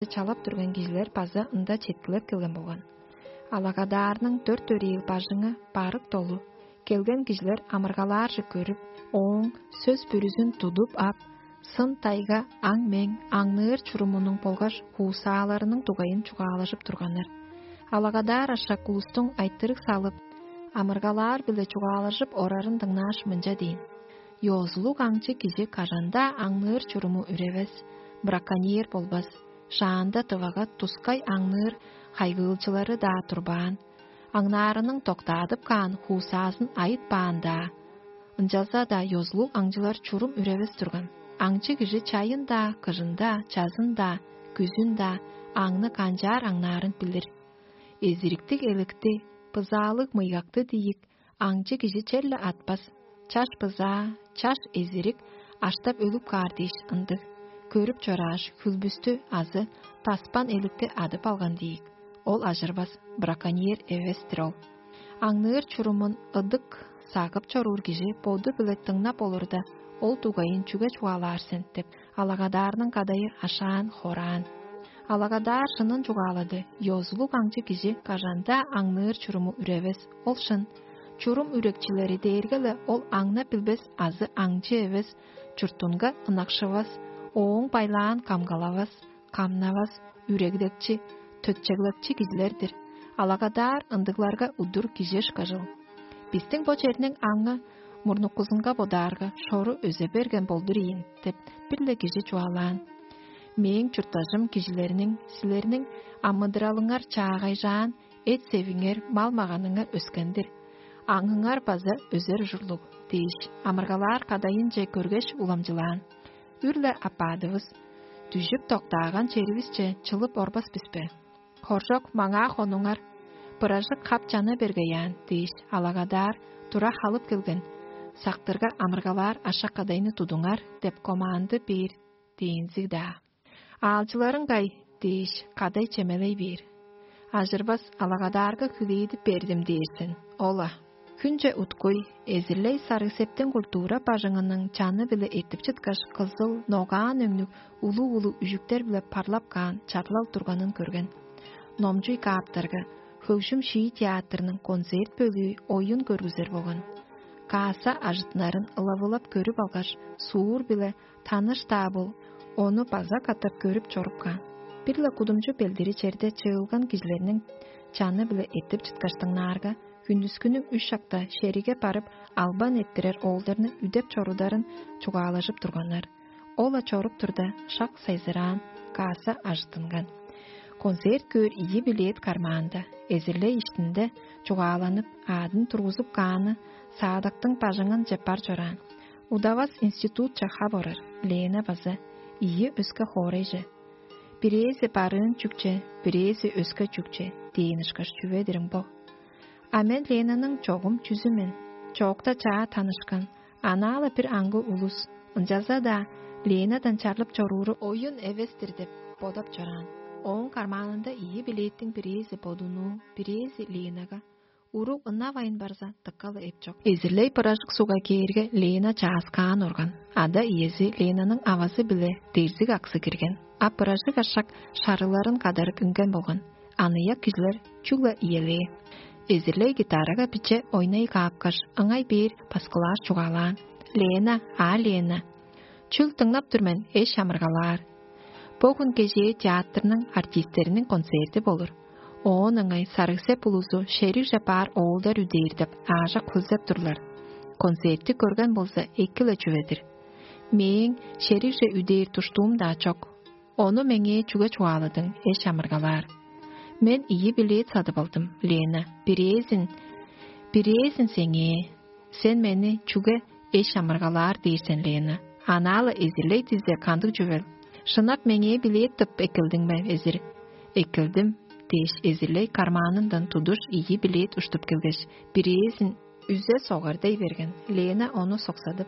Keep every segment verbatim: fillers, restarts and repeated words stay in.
чалап турган кижилер база ында четкилеп келген болган. Алагадаарның дөрт өрээл бажыңы барык долу. Келген кижилер амыргалаарже көрүп, ооң сөс бүрүзүн тудуп ап, сын тайга аң-мең, аңныыр чурумунуң болгаш хуусааларының дугайын чугаалажып турганнар. Алагадаар ашак улустуң айтырыг салып, амыргалаар-биле чугаалажып орарын дыңнааш, мынча дээн: «Ёзулуг аңчы кижи кажан-даа аңныыр чуруму үревес, браконьер болбас, шаанда тывага тускай аңныыр хайгыылчылары-даа турбаан, аңнаарының доктаадып каан хуусаазын айытпаан-даа. Ынчалза-даа ёзулуг аңчылар чурум үревес турган. Аңчы кижи чайын-даа, кыжын-даа, чазын-даа, күзүн-даа аңны канчаар аңнаарын билир. Эзириктиг эликти, бызаалыг мыйгакты диик аңчы кижи черле атпас. Чаш бызаа, чаш эзирик аштап өлүп каар дээш ындыг. Көрүп чорааш, хүлбүстү азы таспан эликти адып алган диик. Ол ажырбас, браконьер эвес-тир ол. Аңныыр чурумун ыдык сагып чоруур кижи боду-биле дыңнап олурда, ол дугайын чүге чугаалаар сен?» — деп, алагадаарның кадайы ашаан-хораан. Алагадаар шынын чугаалады: «Ёзулуг аңчы кижи кажан-даа аңныыр чуруму үревес, ол шын. Чурум үрекчилери дээрге-ле ол аңнап билбес азы аңчы эвес, чуртунга ынакшывас, ооң байлаан камгалавас, камнавас, үреглекчи, төтчеглепчи кижилер-дир. Алагадаар ындыгларга удур кижи ышкажыл. Бистиң бо черниң аңы мурнуккузунга бодаарга, шору өзе берген болдур ийин» — деп, бир-ле кижи чугаалаан. «Мээң чурттажым кижилерниң, силерниң амыдыралыңар чаагайжаан, эт-севиңер, мал-маганыңар өскен-дир. Аңыңар база өзер ужурлуг» — дээш, амыргалаар кадайынче көргеш, уламчылаан. Үр-ле апаадывыс, дүжүп доктааган черивисче чылып орбас бис бе? «Хоржок, маңаа хонуңар, быражык хап чана бергей аан» — дээш, алагадаар тура халып келген. «Сактырга амыргалаар ашак-кадайны тудуңар» — деп команды бээр дээнзиг-даа. «Аалчыларың кай?» — дээш, кадай чемелей бээр. «Ажырбас, алагадаарга хүлээдип бердим» — дээр сен. Ол-ла. Хүнче уткуй, эзирлей сарыг-септиң культура бажыңының чаны-биле эртип чыткаш, кызыл, ногаан өңнүг улуг-улуг үжүктер-биле парлап каан чарлал турганын көрген. Номчуй кааптарга, хөгжүм-шии театрының концерт бөлүү оюн көргүзер болган. Кааса ажыттынарын ылавылап көрүп алгаш, суур-биле таныш-даа бол, ону база катап көрүп чоруп каан. Бир-ле кудумчу белдири черде чыылган кижилерниң чаны-биле эртип чыткаштыңнаарга, хүндүскүнүң үш шакта шериге барып, албан эрттирер оолдарны үдеп чорударын чугаалажып турганнар. Ол-ла чоруп турда, шак сайзыраан, кааса ажыттынган. Концерт көөр ийи билет кармаанда, эзирлей иштинде чугааланып, аадын тургузуп кааны саадактың бажыңынче бар чораан. Удавас институтче хап орар Лена база ийи өске хоорайже. Бирээзи барыын чүкче, бирээзи өске чүкче дээн ышкаш чүве-дир ың бо. А мен Ленаның чогум чүзү мен, чоокта чаа танышкан, анаа-ла бир аңгы улус, ынчалза-даа Ленадан чарлып чорууру оюн эвес-тир деп бодап чораан. Ооң кармаанында ийи билеттиң бирээзи бодунуу, бирээзи Ленага. Уруг ынавайн барза, дыка-ла эп чок. Эзирлей быражык сугга кээрге, Лена чааскаан орган. Ада-иези Ленаның авазы-биле дерзиг аксы кирген. А быражык ашак шарыларын кадарып үнген болган. Аныяк кижилер чүгле иелээ. Эзирлей гитарага биче ойнай каапкаш, ыңай бээр баскылаар чугаалаан: «Лена, а, Лена! Чүл дыңнап тур мен, эш амыргалаар. Бо хүн кежээ театрның артистериниң концерти болур. Оон ыңай сарыг-сеп улузу шеригже баар оолдар үдээр деп аажок хөлзеп турлар. Концертти көрген болза, эки-ле чүве-дир. Мээң шеригже үдээр душтуум-даа чок. Ону меңээ чүге чугааладың, эш амыргалаар? Мен ийи билет садып алдым, Лена. Бирээзин, бирээзин сеңээ. Сен мени чүге эш амыргалаар дээр сен, Лена? Анаа-ла эзирлей дизе кандыг чүвел? Шынап меңээ билет тып эккелдиң бе, эзир?» «Эккелдим» — дээш, эзирлей кармаанындан тудуш ийи билет уштуп келгеш, бирээзин үзе согар дей берген. Лена ону соксадып: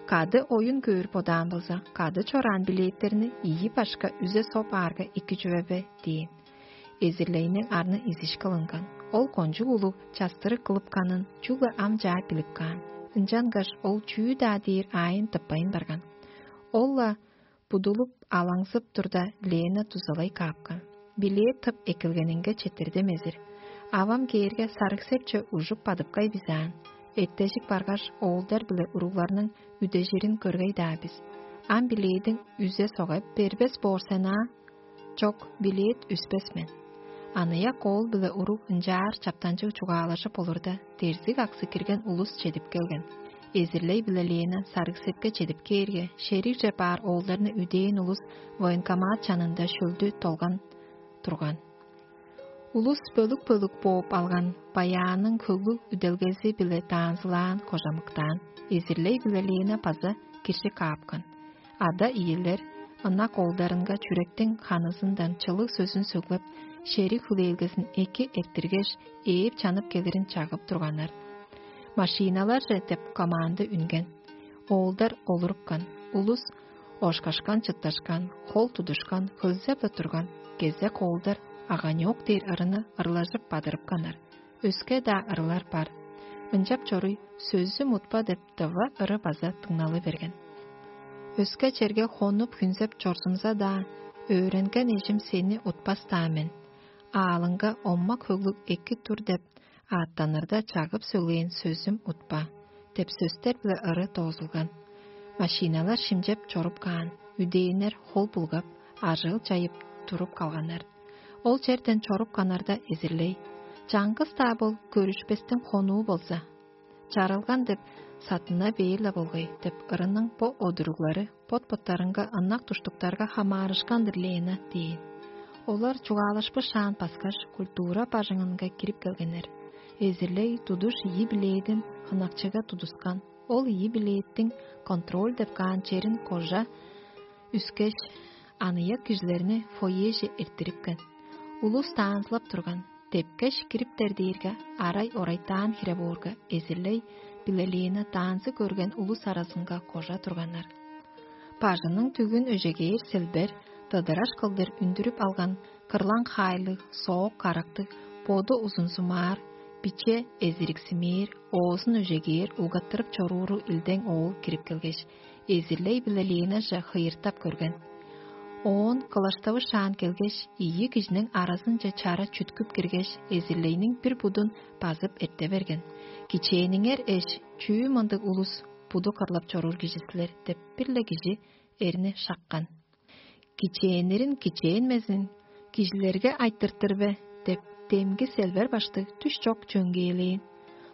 «Кады оюн көөр бодаан болза, кады чораан билеттерни ийи башка үзе соп аарга эки чүве бе?» — дээн. Эзирлейниң арны изиш кылынган. Ол кончуг улуг частырыг кылыпканын чүгле ам чаа билип каан. Ынчангаш ол чүү-даа дээр аайын тыппайн барган. Ол-ла Будулуп, алаңзып турда, Лена дузалай каапкан. Билээ тып эккелгенинге четирдим эзир. Авам кээрге сарыг-сепче ужуп бадыпкай бизаан. Эртежик баргаш, оолдар биле уругларның үдежирин көргей-даа бис. Ам билээдиң үзе согай бербес боор сен аа? Чок, билээт үспес мен. Аныяк оол биле уруг ынчаар чаптанчыг чугаалажып олурда, дерзиг аксы кирген улус чедип келген. Эзирлей биле Лена сарыг-сепке чедип кээрге, шеригже баар оолдарны үдээн улус военкомат чанында шөлдү толган турган. Улус бөлүк-бөлүк бооп алган баяанның хөглүг үделгези-биле даанзылаан кожамыктаан. Эзирлей биле Лена база киржи каапкан. Ада-иелер ынак оолдарынга чүректиң ханызындан чылыг сөзүн сөглеп, шериг хүлээлгезин эки эрттиргеш, ээп-чанып келирин чагып турганнар. «Машиналар же» деп команда үнген. Оолдар олурупкан. Улус ошкашкан-чытташкан, хол тудушкан, хөлзеп-ле турган. Кезек оолдар аганёк дээр ырыны ырлажып бадырыпканнар. Өске-даа ырылар бар. Ынчап чоруй, «Сөзүм утпа» деп дыва ыры база дыңналы берген. Өске черге хонуп хүнзеп чорзумза-даа, өөренген эжим сени утпас-даа мен. Аалыңга оммак хөглүг эки тур деп ааттанырда чагып сөглээн «Сөзүм утпа» деп сөстер-биле ыры доозулган. Машиналар шимчеп чоруп каан, үдээннер хол булгап, ажыыл чайып туруп калганнар. Ол черден чоруп канарда эзирлей: «Чаңгыс-даа бол, көрүшпестиң хонуу болза». «Чарылган деп саттына бээр-ле болгай» деп ырының бо одуруглары бот-боттарынга ынак душтуктарга хамаарышкан-дыр Лена дээн. Олар чугаалашпышаан паскаш, культура бажыңынга кирип келгеннер. Эзирлей тудуш ийи билээдин хынакчыга тудускан. Ол ийи билээттиң контроль деп каан черин кожа үскеш, аныяк кижилерни фойеже эрттирипкен. Улус даанзылап турган. Депкеш кириптер дээрге, арай орайтаан хире боорга, эзирлей биле Лена даанзы көрген улус аразынга кожа турганнар. Бажының түгүн өжегээр селбер, дыдыраш кылдыр үндүрүп алган кырлаң хаайлыг, соок карактыг, боду узунзумаар, биче эзириксимээр, оозун өжегээр улгаттырып чорууру илдең оол кирип келгеш, эзирлей биле Ленаже хыйыртап көрген. Оон кылаштавышаан келгеш, ийи кижиниң аразынче чара чүткүп киргеш, эзирлейниң бир будун базып эрте берген. «Кичээниңер эш, чүү мындыг улус, буду кырлап чоруур кижи силер?» — деп, бир-ле кижи эрни шаккан. «Кичээннерин кичээнмезин кижилерге айтыртыр бе?» — деп, демги селбер баштыг түш чок чөңгээлээн.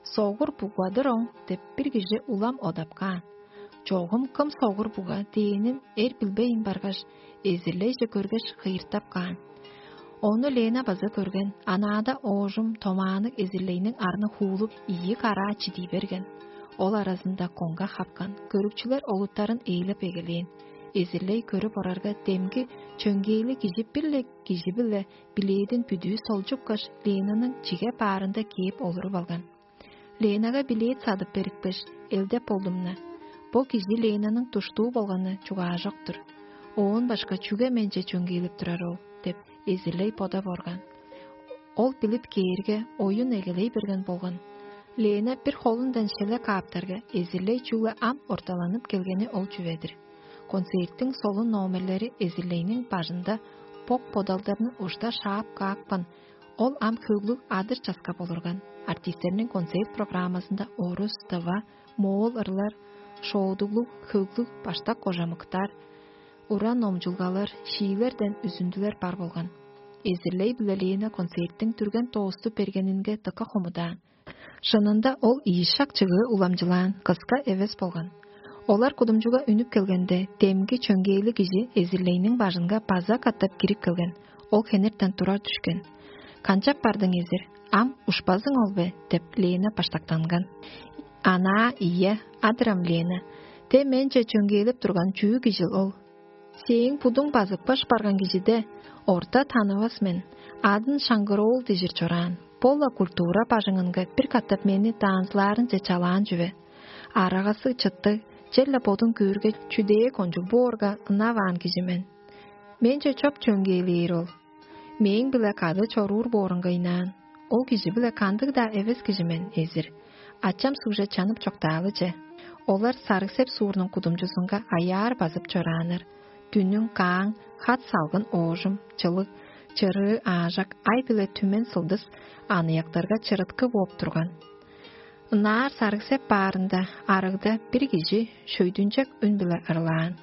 «Согур бугадыр оң» — деп, бир кижи улам одап каан. «Чогум кым согур буга дээнин эр билбейн баргаш, эзирлейже көргеш, хыйыртап каан. Ону Лена база көрген. Анаада оожум томаанныг эзирлейниң арны хуулуп, ийи караа чидий берген. Ол аразында коңга хапкан. Көрүкчүлер олуттарын ээлеп эгелээн. Эзирлей көрүп орарга, демги чөңгээлиг кижи бир-ле кижи-биле билээдин бүдүү солчупкаш, Ленаның чиге баарында кээп олуруп алган. Ленага билет садып берипкеш, элдеп болдум-на. Бо кижи Ленаның душтуу болганы чугаажок-тур. Оон башка чүге менче чөңгээлеп турар ол?» — деп, эзирлей бодап орган. Ол билип кээрге, оюн эгелей берген болган. Лена бир холундан шеле кааптарга, эзирлей чүгле ам орталанып келгени ол чүве-дир. Концерттиң солун номерлери эзирлейниң бажында бок-бодалдарны ушта шаап каапкан. Ол ам хөглүг адыр-часка болурган. Артистерниң концерт программазында орус, тыва, моол ырлар, шоодуглуг, хөглүг, баштак кожамыктар, уран номчулгалар, шиилерден үзүндүлер бар болган. Эзирлей биле Лена концерттиң дүрген доосту бергенинге дыка хомудаан. Шынында ол ийи шак чыгыы уламчылаан, кыска эвес болган. Олар кудумчуга үнүп келгенде, демги чөңгээлиг кижи эзирлейниң бажынга база катап кирип келген. Ол хенертен турар дүшкен. «Канчап бардың, эзир? Ам ушпазың ол бе?» — деп, Лена баштактанган. «Анаа, ийе, адырам, Лена. Те менче чөңгээлеп турган чүү кижил ол?» «Сээң будуң базыпкаш барган кижиде орта танывас мен, адын Шаңгыроол дижир чораан. Бо-ла культура бажыңынга бир катап мени даанзылаарынче чалаан чүве. Арагасы чыттыг, черле бодун көөрге, чүдээ кончуг боорга, ынаваан кижи мен. Менче чоп чөңгээлээр ол. Мээң-биле кады чоруур боорунга ыйнаан. Ол кижи-биле кандыг-даа эвес кижи мен, эзир. Ачам сугже чанып чоктаалы че. Олар Сарыг-Сеп суурнуң кудумчузунга аяар базып чорааннар. Дүнүң кааң, хат салгын оожум, чылыг, чырыы аажак, ай биле түмен сылдыс аныяктарга чырыткы бооп турган. Ынаар сарыгсеп баарында арыгда бир кижи шөйдүнчек үн-биле ырлаан: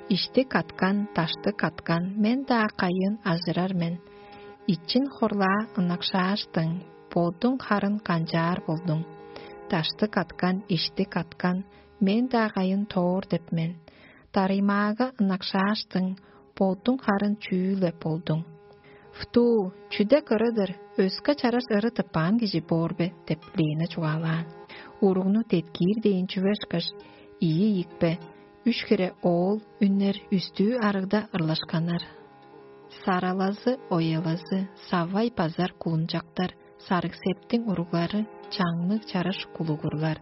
«Иштик аткан, даштык аткан, мен-даа кайыын ажырар мен. Ичин хорлаа ынакшааштың, бодуң харын канчаар болдуң? Даштык аткан, иштик аткан, мен-даа кайын тоор деп мен. Дарыймаага ынакшааштың, бодуң харын чүү-ле болдуң?» «Вту, чүдек ыры-дыр, өске чараш ыры тыппаан кижи боор бе?» — деп Лена чугаалаан. Уругну деткиир дээн чүве ышкаш, ийи ийикпе, үш хире оол үннер үстүү арыгда ырлашканнар. Саралазы, оялазы, савай базар кулунчактар, сарыг-септиң уруглары, чаңныг чараш кулугурлар,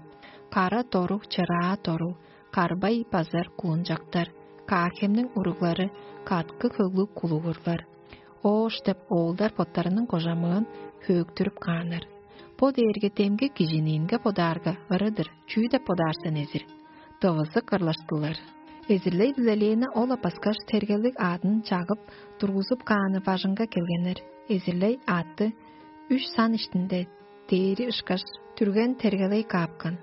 кара доруг, чыраа доруг, карбай базар кулунчактар, каахемниң уруглары, каткы хөглүг кулугурлар. Оош деп оолдар боттарының кожамыын хөөктүрүп кааннар. Бо дээрге демги кижиниинге бодаарга ыры-дыр, чүү деп бодаар сен, эзир? Дывызык ырлаштылар. Эзирлей-биле Лена ол апаскаш тергелиг аадын чагып, тургузуп кааны бажыңга келгеннер. Эзирлей аътты үш сан иштинде дээри ышкаш, түрген тергелей каапкан.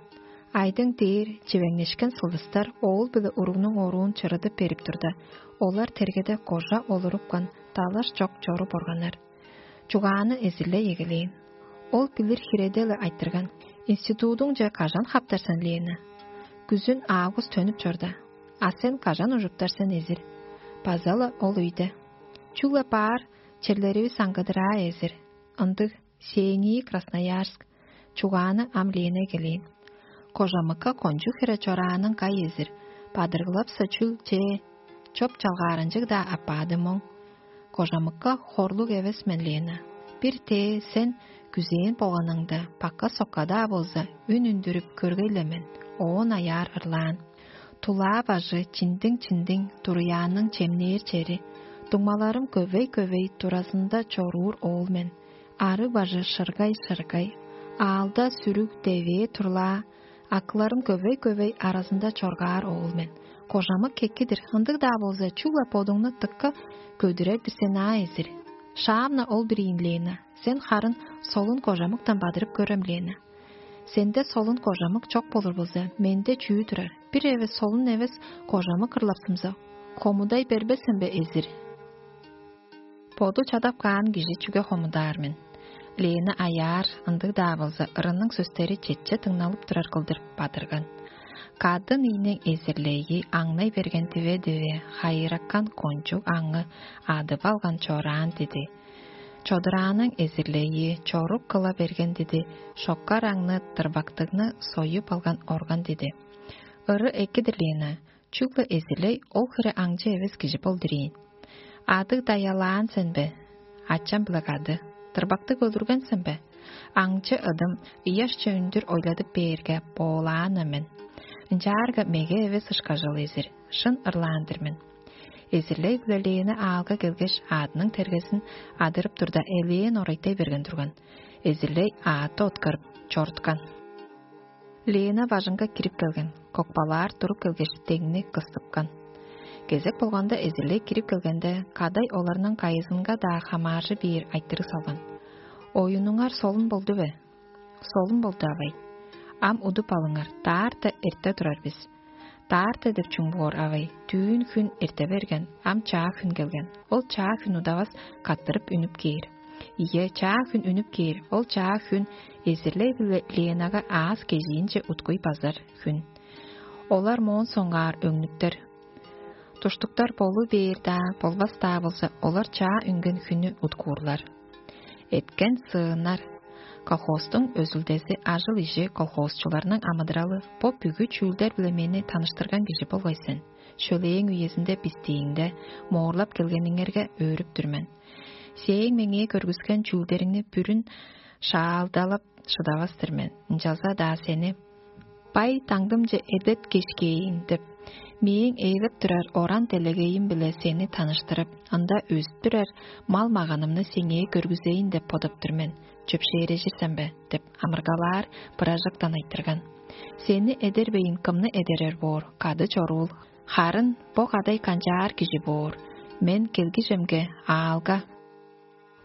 Айдың дээр чивеңнешкен сылдыстар оол биле уругнуң оруун чырыдып берип турда, олар тергеде кожа олурупкан, далаш чок чоруп органнар. Чугааны эзирлей эгелээн. Ол билир хиреде-ле айтырган: «Институдуңче кажан хаптар сен, Лена?» «Күзүн август төнүп чорда». «А сен кажан ужуптар сен, эзир?» «База-ла ол өйде». «Чүгле баар черлеривис аңгыдыраа, эзир. Ындыг, сээңии Красноярск». Чугааны ам Лена эгелээн. «Кожамыкка кончуг хире чораанын кай, эзир? Бадыргылапса чүл чээ? Чоп-чалгааранчыг-даа аппаады моң». «Кожамыкка хорлуг эвес мен, Лена. Бир тээ сен күзээн болганыңда, бакка-сокка-даа болза, үн үндүрүп көргей-ле мен, оон аяар ырлаан. Тулаа бажы чиндиң-чиндиң, туруяанның чемнээр чери. Дуңмаларым көвей-көвей туразында чоруур оол мен. Арыг бажы шыргай-шыргай, аалда сүрүг девээ турлаа, акыларым көвей-көвей аразында чоргаар оол мен. Кожамык кекки-дир, ындыг-даа болза, чүгле бодуңну дыка көдүрер бисен аа, эзир. Шаамна ол бир ийин, Лена. Сен харын солун кожамыктан бадырып көрем, Лена. Сенде солун кожамык чок болур болза, менде чүү турар? Бир эвес солун эвес кожамык ырлапсымза, хомудай бербес сен бе, эзир?» Боду чадап каан кижи чүге хомудаар мен? Лена аяар, ындыг-даа болза, ырының сөстери четче дыңналып турар кылдыр бадырган. Кадын ийниң эзирлейи аңнай берген диве-диве, хайыраккан кончуг аңы адып алган чораан диди. Чодурааның эзирлейи чорук кыла берген диди, шоккар аңны, дырбактыгны союп алган орган диди. Ыры эки-дир, Лена, чүгле эзирлей ол хире аңчы эвес кижи болдур ийин. Адыг даялаан сен бе? Ачам-биле кады. Дырбактыг өлүрген сен бе? Аңчы ыдым ыяшче үндүр ойладып бээрге, боолаан-на мен. Ынчаарга меге эвес ышкажыл, эзир, шын ырлаан-дыр мен. Эзирлей-биле Лена аалга келгеш, аъдының тергезин адырып турда, элээн орайтай берген турган. Эзирлей аътты откарып чоруткан. Лена бажыңга кирип келген, кокпалаар туруп келгеш, деңни кыстыпкан. Кезек болганда эзирлей кирип келгенде, кадай оларның кайызынга-даа хамааржы бээр айтырыг салган: «Оюнуңар солун болду бе?» «Солун болду, авай». «Ам удуп алыңар, даарта эрте турар бис». «Даарта деп чүң боор, авай? Дүүн хүн эрте берген, ам чаа хүн келген. Ол чаа хүн удавас каттырып үнүп кээр». «Ийе, чаа хүн үнүп кээр, ол чаа хүн эзирлей-биле Ленага аас кежиинче уткуй базар хүн. Олар моон соңгаар өңнүптер. Душтуктар болу бээр-даа, болбас-даа болза, олар чаа үнген хүннү уткуурлар». Эткен сыыннар. Колхозтуң өзүлдези, ажыл-ижи, колхозчуларның амыдыралы — бо бүгү чүүлдер-биле мени таныштырган кижи болгай сен. Шөлээң үезинде бистииңде моорлап келгениңерге өөрүп тур мен. Сээң меңээ көргүскен чүүлдериңни бүрүн шаалдалап шыдавас-тыр мен. Ынчалза-даа сени бай даңдымче эдерткеш кээйн деп, мээң ээлеп турар оран-делегейим-биле сени таныштырып, ында өзүп турар мал-маганымны сеңээ көргүзейн деп бодап тур мен. Чөпшээрежир сен бе? — деп амыргалаар быражыктан айтырган. Сени эдербейн, кымны эдерер боор? Кады чоруул. Харын бо кадай канчаар кижи боор, мен келгижемге аалга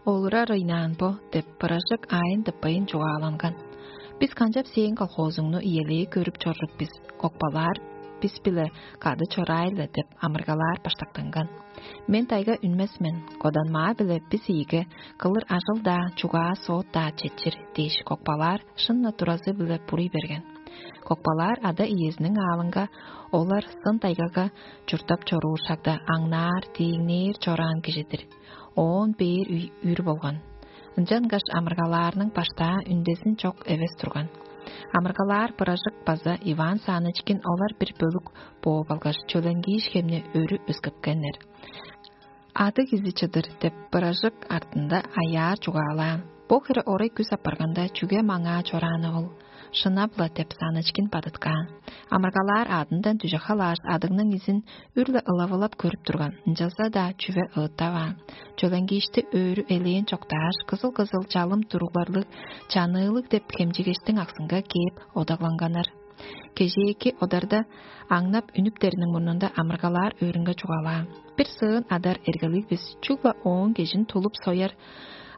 олурар ыйнаан бо деп, быражык аайын тыппайын чугааланган. Бис канчап сээң колхозуңну иелээ көрүп чоржук бис, кокпалаар бис-биле кады чораай-ла деп амыргалаар баштактанган. Мен тайга үнмес мен, коданмаа-биле бис ийиге кылыр ажыл-даа, чугаа соот-даа четчир дээш, кокпалаар шынна туразы-биле буруй берген. Кокпалаар ада иезиниң аалынга олар сын тайгага чурттап чоруур шагда аңнаар, тииңнээр чораан кижи-дир. Оон бээр үр болган. Ынчангаш амыргалаарның баштаа үндезин чок эвес турган. Амыргалаар быражык база Иван Санычкин олар бир бөлүк бооп алгаш, чөленгииш хемни өрү өскепкеннер. Ады кизи чыдыр деп, быражык артында аяар чугаалаан. Бо хире орай күс апарганда, чүге маңаа чорааны ол? Шынап-ла деп, Санычкин бадыткаан. Амыргалаар адындан дүже халааш, адыгның изин үр-ле ылавылап көрүп турган, ынчалза-даа чүве ыыттаваан. Чөленгиишти өөрү элээн чоктааш, кызыл-кызыл чалым туругларлыг чаныылыг деп хемчигештиң аксынга кээп одагланганнар. Кежээки одарда аңнап үнүптериниң мурнунда амыргалаар өөрүнге чугаалаан. Бир сыын адар эргелиг бис, чүгле ооң кежин тулуп сояр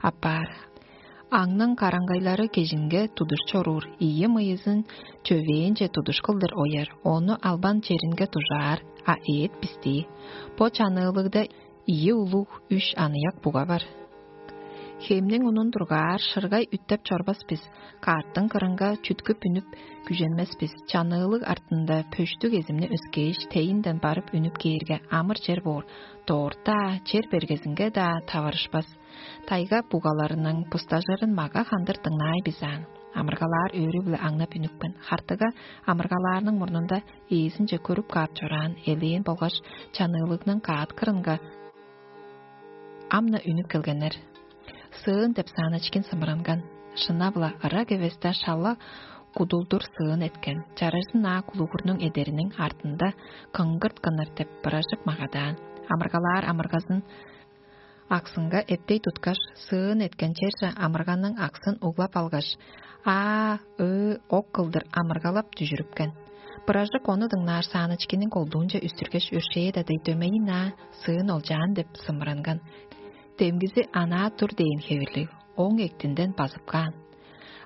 апаар. Аңның караңгайлары кежинге тудуш чоруур, ийи мыйызын чөвээнче тудуш кылдыр ояр, ону албан черинге дужаар, а эът бистии. Бо чаныылыгда ийи улуг, үш аныяк буга бар. Хемниң унун дургаар шыргай үттеп чорбас бис, карттың кырынга чүткүп үнүп күженмес бис. Чаныылыг артында пөштүг эзимни өскээш, тейинден барып үнүп кээрге, амыр чер боор, доорта чер бергезинге-даа таварышпас. Тайга бугаларының бустажырын мага хандыр дыңнаай бис аан. Амыргалаар өөрү-биле аңнап үнүпкен. Хартыга амыргалаарның мурнунда ээзинче көрүп каап чораан элээн болгаш чаныылыгның каат кырынга ам-на үнүп келгеннер. Сыын деп Санычкин сымыранган. Шынап-ла, ырак эвесте шала кудулдур сыын эткен. Чарыжын аа кулугурнуң эдериниң артында кыңгырт кыныр деп быражык магадаан. Амыргалаар амыргазын аксынга эптей туткаш, сыын эткен черже амырганның аксын углап алгаш, аа, ыы, ок кылдыр амыргалап дүжүрүпкен. Быражык ону дыңнаар Санычкинниң колдуунче үстүргеш, өршээ-даа дег дөмейин аа сыын олчаан деп сымыранган. Демгизи анаа тур дээн хевирлиг, ооң эктинден базып каан.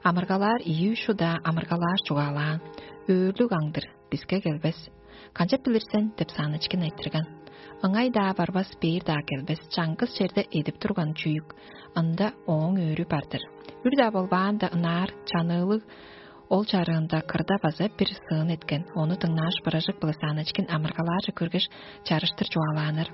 Амыргалаар ийи-үш удаа амыргалаар чугаалаан: «Өөрлүг аңдыр, биске келбес». «Канчап билир сен?» — деп Санычкин айтырган. «Ыңай-даа барбас, бээр-даа келбес, чаңгыс черде эдип турган чүък, ында ооң өөрү бар-дыр». Үр-даа болбаанда, ынаар чаныылыг ол чарыында кырда база бир сыын эткен. Ону дыңнааш, быражык-биле Санычкин амыргалаарже көргеш, чарыштыр чугаалааннар.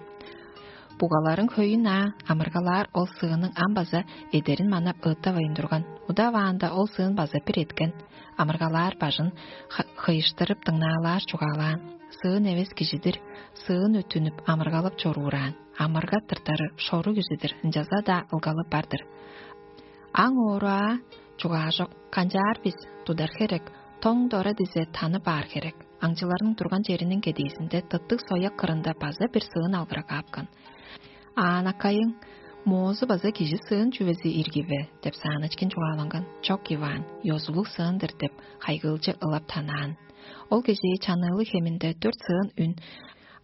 Бугаларың хөйүн аа, амыргалаар ол сыының ам база эдерин манап ыыттавайн турган. Удаваанда ол сыын база бир эткен. Амыргалаар бажын ха-, хыйыштырып дыңнаалаар чугаалаан. Сыын эвес кижи-дир, сыын өттүнүп, амыргалап чоруураан. Амырга тыртары шору кижи-дир, ынчалза-даа ылгалы бар-дыр. Аң оору аа, чугаажок, канчаар бис, тудар херек, тоң-дора дизе танып аар херек. Аңчыларның турган чериниң кедээзинде тыттыг сояк кырында база бир сыын алгырак аапкан. «Аан, акайың, моозу база кижи сыын чүвези ирги бе?» — деп Санычкин чугааланган. «Чок, Иван, ёзулуг сыын-дыр» — деп, хайгыылчы ылап танаан. Ол кежээ чаныылыг хеминде дөрт сыын үн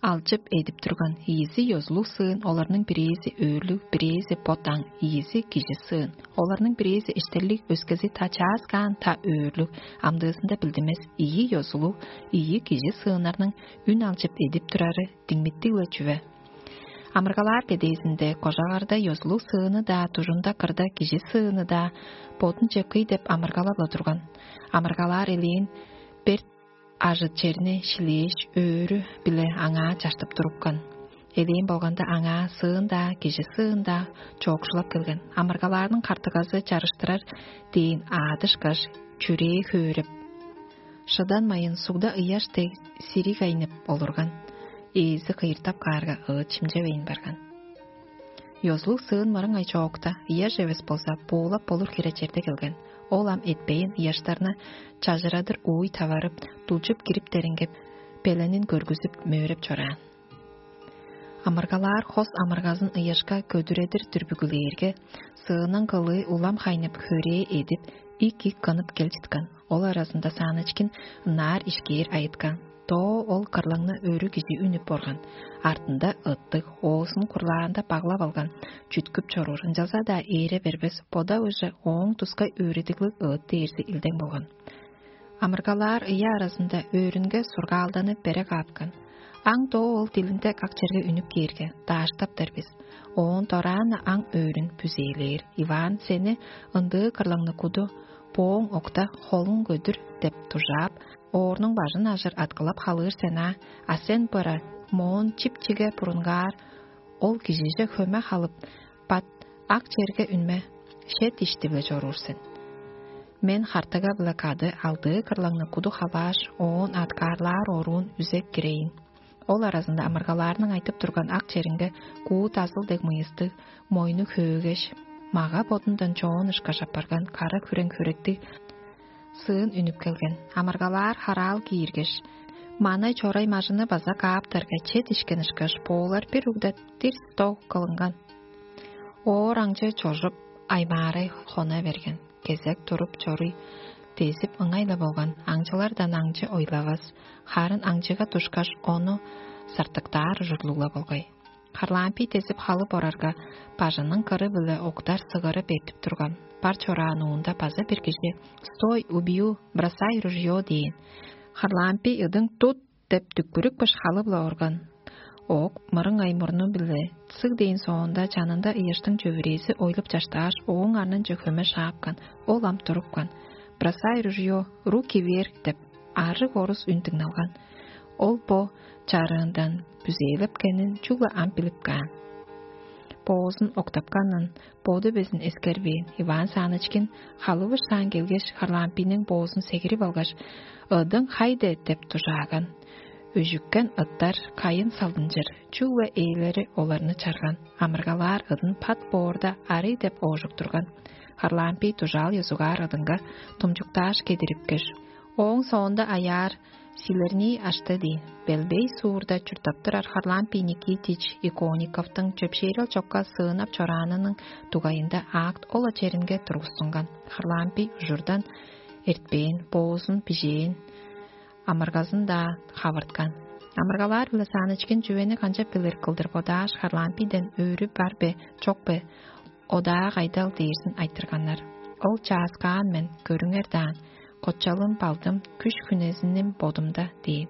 алчып эдип турган. Ийизи ёзулуг сыын, оларның бирээзи өөрлүг, бирээзи бот аң, ийизи кижи сыын. Оларның бирээзи эштерлиг, өскези та чааскаан, та өөрлүг, амдыызында билдинмес. Ийи ёзулуг, ийи кижи сыыннарның үн алчып эдип турары диңмиттиг-ле чүве. Амыргалаар кедээзинде кожагарда ёзулуг сыыны-даа, дужунда кырда кижи сыыны-даа бодунче кый деп амыргалап-ла турган. Амыргалаар элээн берт ажыт черни шилээш, өөрү-биле аңаа чаштып турупкан. Элээн болганда, аңаа сыын-даа, кижи сыын-даа чоокшулап келген. Амыргалаарның картыгазы чарыштырар дээн аадышкаш, чүрээ хөөреп, шыданмайын сугда ыяш дег сириг айнып олурган. Ээзи кыйыртап каарга, ыыт шимчевейн барган. Ёзулуг сыын мырыңай чоокта, ыяш эвес болза, буулап болур хире черде келген. Ол ам этпейн, ыяштарны чажырадыр ууй таварып, дулчуп кирип, дерингеп, беленин көргүзүп, мөөреп чораан. Амыргалаар хос амыргазын ыяшка көдүредир дүрбүгүлээрге, сыының кылыы улам хайнып, хөрээ эдип, ик-ик кынып кел чыткан. Ол аразында Санычкин ынаар ишкээр айыткан. Доо ол кырлаңны өрү кижи үнүп орган. Артында ыттыг, оозун курлаанда баглап алган, чүткүп чоруур, ынчалза-даа ээре бербес, бода уже ооң тускай өөредиглиг ыыт дээрзи илдең болган. Амыргалаар ыя аразында өөрүнге сургаалданып бере кааткан. Аң доо ол дилинде как черге үнүп кээрге, дааштаптар бис. Оон дораан-на аң өөрүн бүзээлээр. Иван сени ындыы кырлаңны куду, бооң окта, холуң көдүр деп дужаап, оорнуң бажын ажыр аткылап халыыр сен аа, а сен быра моон чип-чиге бурунгаар, ол кижиже хөме халып, бат ак черге үнме, шет ишти-биле чоруур сен. Мен хартыга-биле кады алдыы кырлаңны куду халааш, оон аткаарлаар оруун үзек кирейн. Ол аразында амыргалаарның айтып турган ак черинге куу дазыл дег мыйыстыг, мойну хөөгеш, мага бодундан чоон ышкаш апарган кара хүрең хөректиг сыын үнүп келген. Амыргалаар хараал кииргеш: «Манай чорай мажыны база кааптарга чет ишкен ышкаш, боолар бир угда дирс доо кылынган». Оор аңчы чожуп, аймаарай хона берген. Кезек туруп чоруй дезип ыңай-ла болган, аңчылардан аңчы ойлавас, харын аңчыга душкаш, ону сартыктаар ужурлуг-ла болгай. Харлампий дезип халып орарга, бажының кыры-биле октар сыгыры бертип турган. Бар чораан уунда база бир кижи: «Стой, убью, бросай ружьё» – дээн. Харлампий ыдың: «Тут!» – деп дүкпүрүкпеш халып-ла орган. Оок мырыңай мурну-биле цыг дээн соонда, чанында ыяштың чөвүрээзи ойлуп чаштааш, ооң арнынче хөме шаапкан. Ол ам турупкан. «Бросай ружьё, руки вверх» – деп арыг орус үн дыңналган. Ол бо чарыындан бүзээлепкенин чүгле ам билип каан. Боозун октапканын боду безин эскербээн. Иван Санычкин халывышаан келгеш, Харлампийниң боозун сегирип алгаш: «Ыдың хайде?» – деп дужааган. Үжүккен ыттар кайын салдынчыр, чүгле ээлери оларны чарган. Амыргалаар ыдын пат боорда арый деп оожуп турган. Харлампий дужаал ёзугаар ыдынга тумчуктааш кедирипкеш, ооң соонда аяар силернии ашты дээн. Белбей суурда чурттап турар Харлампий Никитич Иконниковтуң чөпшээрел чокка сыынап чораанының дугайында акт ол черинге тургустунган. Харлампий ужурдан эртпээн, боозун бижээн, амыргазын-даа хавырткан. Амыргалаар-биле Санычкин чүвени канчап билир кылдыр бодааш, Харлампийден: «Өрү бар бе, чок бе, одаа кайдал?» – дээрзин айтырганнар. Ол чааскаан мен, көрүңер даан, кочалым, балдым, күш-хүнезиним бодумда дээн.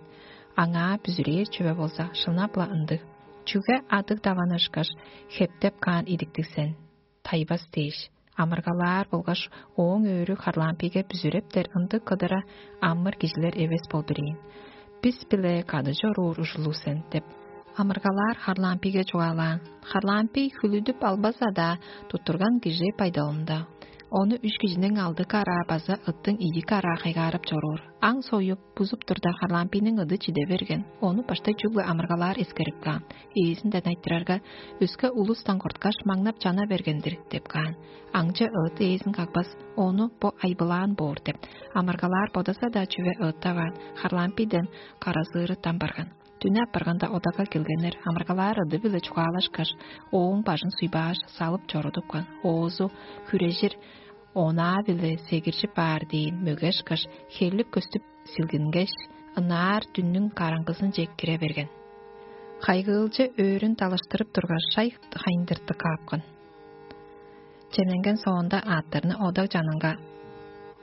Аңаа бүзүрээр чүве болза, шынап-ла ындыг. Чүге адыг даван ышкаш, хептеп каан идиктиг сен? Тайбас дээш, амыргалаар болгаш ооң өөрү Харлампийге бүзүрептер ындыг кыдыра амыр кижилер эвес болдур ийин. Бис-биле кады чоруур ужурлуг сен деп, амыргалаар Харлампийге чугаалаан. Харлампий хүлүдүп албаза-даа, туттурган кижи байдалында. Ону үш кижиниң алды караа база ыттың ийи караа хайгаарып чоруур. Аң союп, бузуп турда, Харлампийниң ыды чиде берген. Ону баштай чүгле амыргалаар эскерип каан. Ээзинден айтырарга: «Өске улустан корткаш, маңнап чана берген-дир» – деп каан. Аңчы ыт ээзин кагбас, ону бо айбылаан боор деп, амыргалаар бодаса-даа чүве ыыттаваан, Харлампийден каразыыры там барган. Дүне апарганда одага келгеннер, амыргалаар ыды-биле чугаалашкаш, ооң бажын суйбааш, салып чорудупкан. Оозу хүрежир онаа-биле сегиржип баар дээн мөге ышкаш, херлип көстүп силгингеш, ынаар дүннүң караңгызынче кире берген. Хайгыылчы өөрүн далыштырып тургаш, шай хайындыртып каапкан. Чемненген соонда, аъттарны одаг чанынга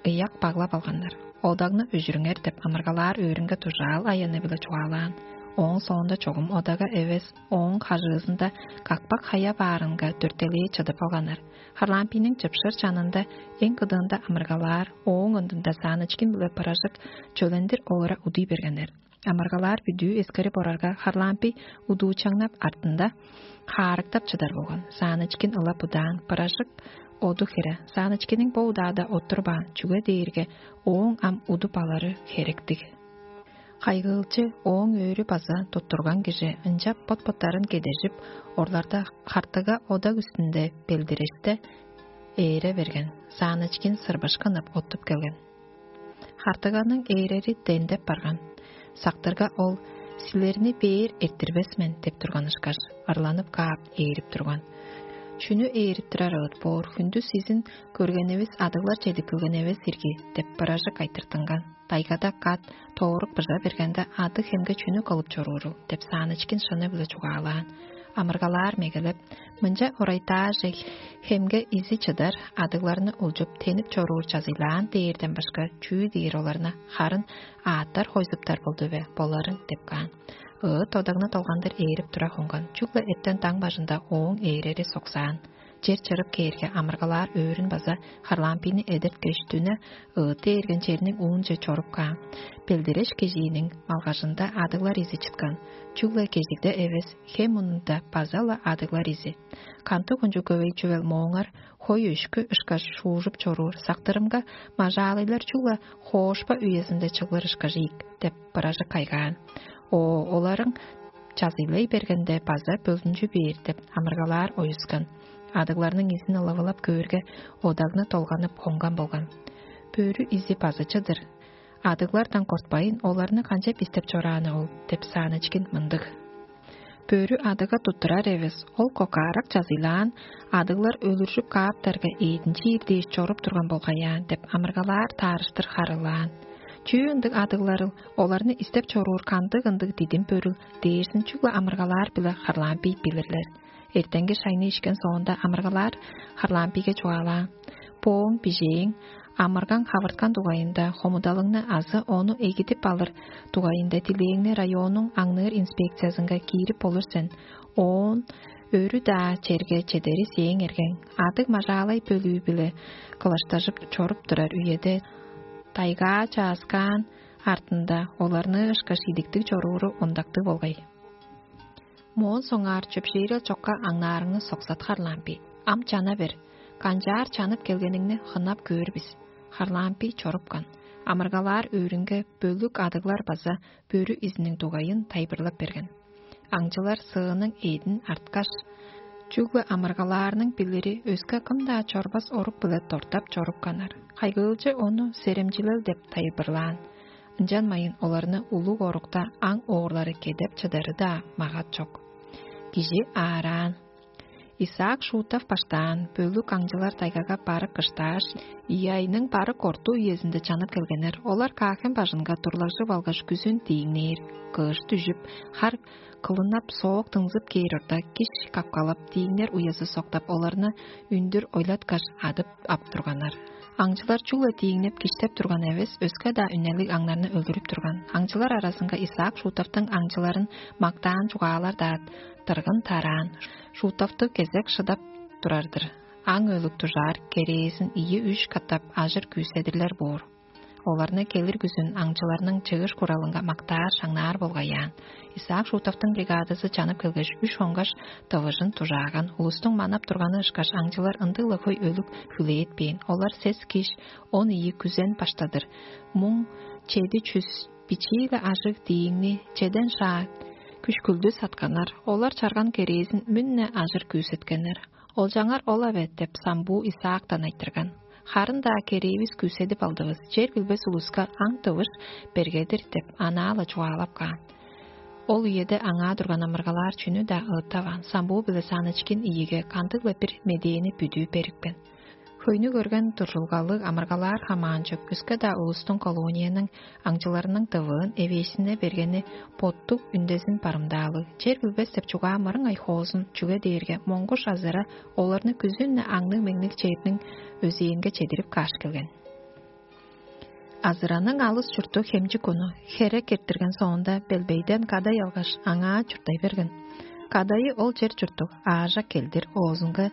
ыяк баглап алганнар. «Одагны өжүрүңер» – деп амыргалаар өөрүнге дужаал аяны-биле чугаалаан. Ооң соонда чогум одага эвес, ооң хажыызында какпак хая баарынга дөртелээ чыдып алганнар. Харлампийниң чыпшыр чанында эң кыдыында амыргалаар, ооң ындында Санычкин биле Пыражык чөлендир олура удуй бергеннер. Амыргалаар бүдүү эскерип орарга, Харлампий удуучаңнап артында хаарыктап чыдар болган. Санычкин ылап удаан, Пыражык оду хере. Санычкинниң бо удаада оттурбаан, чүге дээрге ооң ам удуп алыры херектиг. Хайгыылчы, ооң өөрү база туттурган кижи, ынчап бот-боттарын кедежип, орларда хартыга одаг үстүнде белдиреште ээре берген. Санычкин сырбышкынып оттуп келген. Хартыганың ээрери дендеп барган. Сактырга ол: «Силерни бээр эрттирбес мен» – деп турган ышкаш, ырланып каап ээрип турган. «Чүнү ээрип турар ыыт боор, хүндүс сизин көргенивис адыглар чедип келген эвес ирги» – деп Пыражык айтыртынган. Дайгада кат тоорук быжа бергенде, ады хемге чүнү кылып чоруурул деп, саанычкин шыны-биле чугаалаан. Амыргалаар мегелеп, мынча орайтааже хемге изи чыдар адыгларны улчуп, тенип чоруур чазыйлаан дээрден башка чүү дээр оларны, харын ааттар хойзуптар болду бе боларын деп каан. Ыы, тодагны долгандыр ээрип тура хонган, чүгле эттен даң бажында ооң ээрери соксаан. Чер чырып кээрге, амыргалаар өөрүн база харлампийни эдерткеш, дүне ыыты эрген черниң уунче чоруп каан. Белдиреш кежииниң малгажында адыглар изи чыткан. Чүгле кежигде эвес, хем мурнунда база-ла адыглар изи. Кантык кончуг көвей чүвел мооңар хой өшкү ышкаш шуужуп чоруур сактырымга, мажаалыйлар чүгле хоошпа үезинде чыглыр ышкаш ийик деп, быражы кайгаан. О, оларың чазыйлай бергенде база бөлүнчү бээр деп, амыргалаар оюскан. Адыгларның изин ылавылап көөрге, одагны долганып хонган болган. Бөрү изи базычыдыр. Адыглардан кортпайн, оларны канчап истеп чорааны ол деп, саанычкин мындыг. Бөрү адыга туттурар эвес, ол кокаарак чазыйлаан, адыглар өлүржүп кааптарга, эъдинчи ийир дээш чоруп турган болгаяан деп, амыргалаар таарыштыр харылаан. Чүү ындыг адыгларыл, оларны истеп чоруур кандыг ындыг дидим бөрүл дээрзин чүгле амыргалаар биле харлаан бий билирлер. Эртенги шайны ишкен соонда амыргалаар харлаан бийге чугаалаан: «Бооң бижээң, амыргаң хавырткан дугайында хомудалыңны азы ону эгидип алыр дугайында дилээңни районнуң аңныыр инспекциязынга киирип болур сен. Оон өрү-даа черге чедери сээң эргең. Адыг мажаалай бөлүү-биле кылаштажып чоруп турар үеде тайгаа чааскаан артында оларны ышкаш идиктиг чорууру ондактыг болгай». Моон соңгаар чөпшээрел чокка аңнаарыңны соксат, харлаан бий. Ам чана бер. Канчаар чанып келгениңни хынап көөр бис. Харлаан бий чорупкан. Амыргалаар өөрүнге бөлүк адыглар база бөрү изиниң дугайын тайылбырлап берген. Аңчылар сыының эъдин арткаш, чүгле амыргалаарның билири өске кым-даа чорбас орук-биле дортап чорупканнар. Кайгыылчы ону серемчилел деп тайылбырлаан. Ынчанмайын оларны улуг орукта аң оорлары кедеп чыдары-даа магат чок. Кижи аараан. Исаак Шутов баштаан бөлүк аңчылар тайгага барык кыштааш, ийи айның барык орту үезинде чанып келгеннер. Олар каахен бажынга турлажып алгаш, күзүн дииңнээр, кыш дүжүп, хар кылыннап, соок дыңзып кээр орта, киш капкалап, дииңнер уязы соктап, оларны үндүр ойлаткаш, адып ап турганнар. Аңчылар чүгле дииңнеп, киштеп турган эвес, өске-даа үнелиг аңнарны өлүрүп турган. Аңчылар аразынга Исаак Шутовтуң аңчыларын мактаан чугаалар-даа дыргын тараан. Шутовту кезек шыдап турар-дыр. Аң өлүк дужаар керээзин ийи-үш катап ажыр күүседирлер боор. Оларны келир күзүн аңчыларның чыыш куралынга мактаар, шаңнаар болгай аан. Исаак Шутовтуң бригадазы чанып келгеш, үш хонгаш, тывыжын дужааган. Улустуң манап турганы ышкаш, аңчылар ындыг-ла хөй өлүк хүлээт бээн. Олар сес киш, он ийи күзен баштадыр. Муң чеди чүс бичии-ле ажыг дииңни чеден шаа күш-күлдү сатканнар. Олар чарган керээзин мүн-не ажыр күүсеткеннер. «Олчаңар ол-аве» деп, самбуу Исаактан айтырган. «Харын-даа керээвис күүседип алдывыс, чер билбес улуска аң-тывыш берге-дир» деп, анаа-ла чугаалап каан. Ол үеде аңаа турган амыргалаар чүнү-даа ыыттаваан, самбуу-биле санычкин ийиге кандыг-ла бир медээни бүдүү берипкен. Хөйнү көрген дуржулгалыг амыргалаар хамаанчок өске-даа улустуң колонияның аңчыларының дывыын эвээшине бергени боттуг үндезин барымдаалыг. Чер билбес деп чугаа мырыңай хоозун, чүге дээрге моңгуш азыра оларны күзүн-не аңныг-меңниг черниң өзээнге чедирип кааш келген. Азыраның алыс чурту Хемчик уну херек эрттирген соонда, белбейден кадай алгаш, аңаа чурттай берген. Кадайы ол чер чурттуг аажак келдир оозунга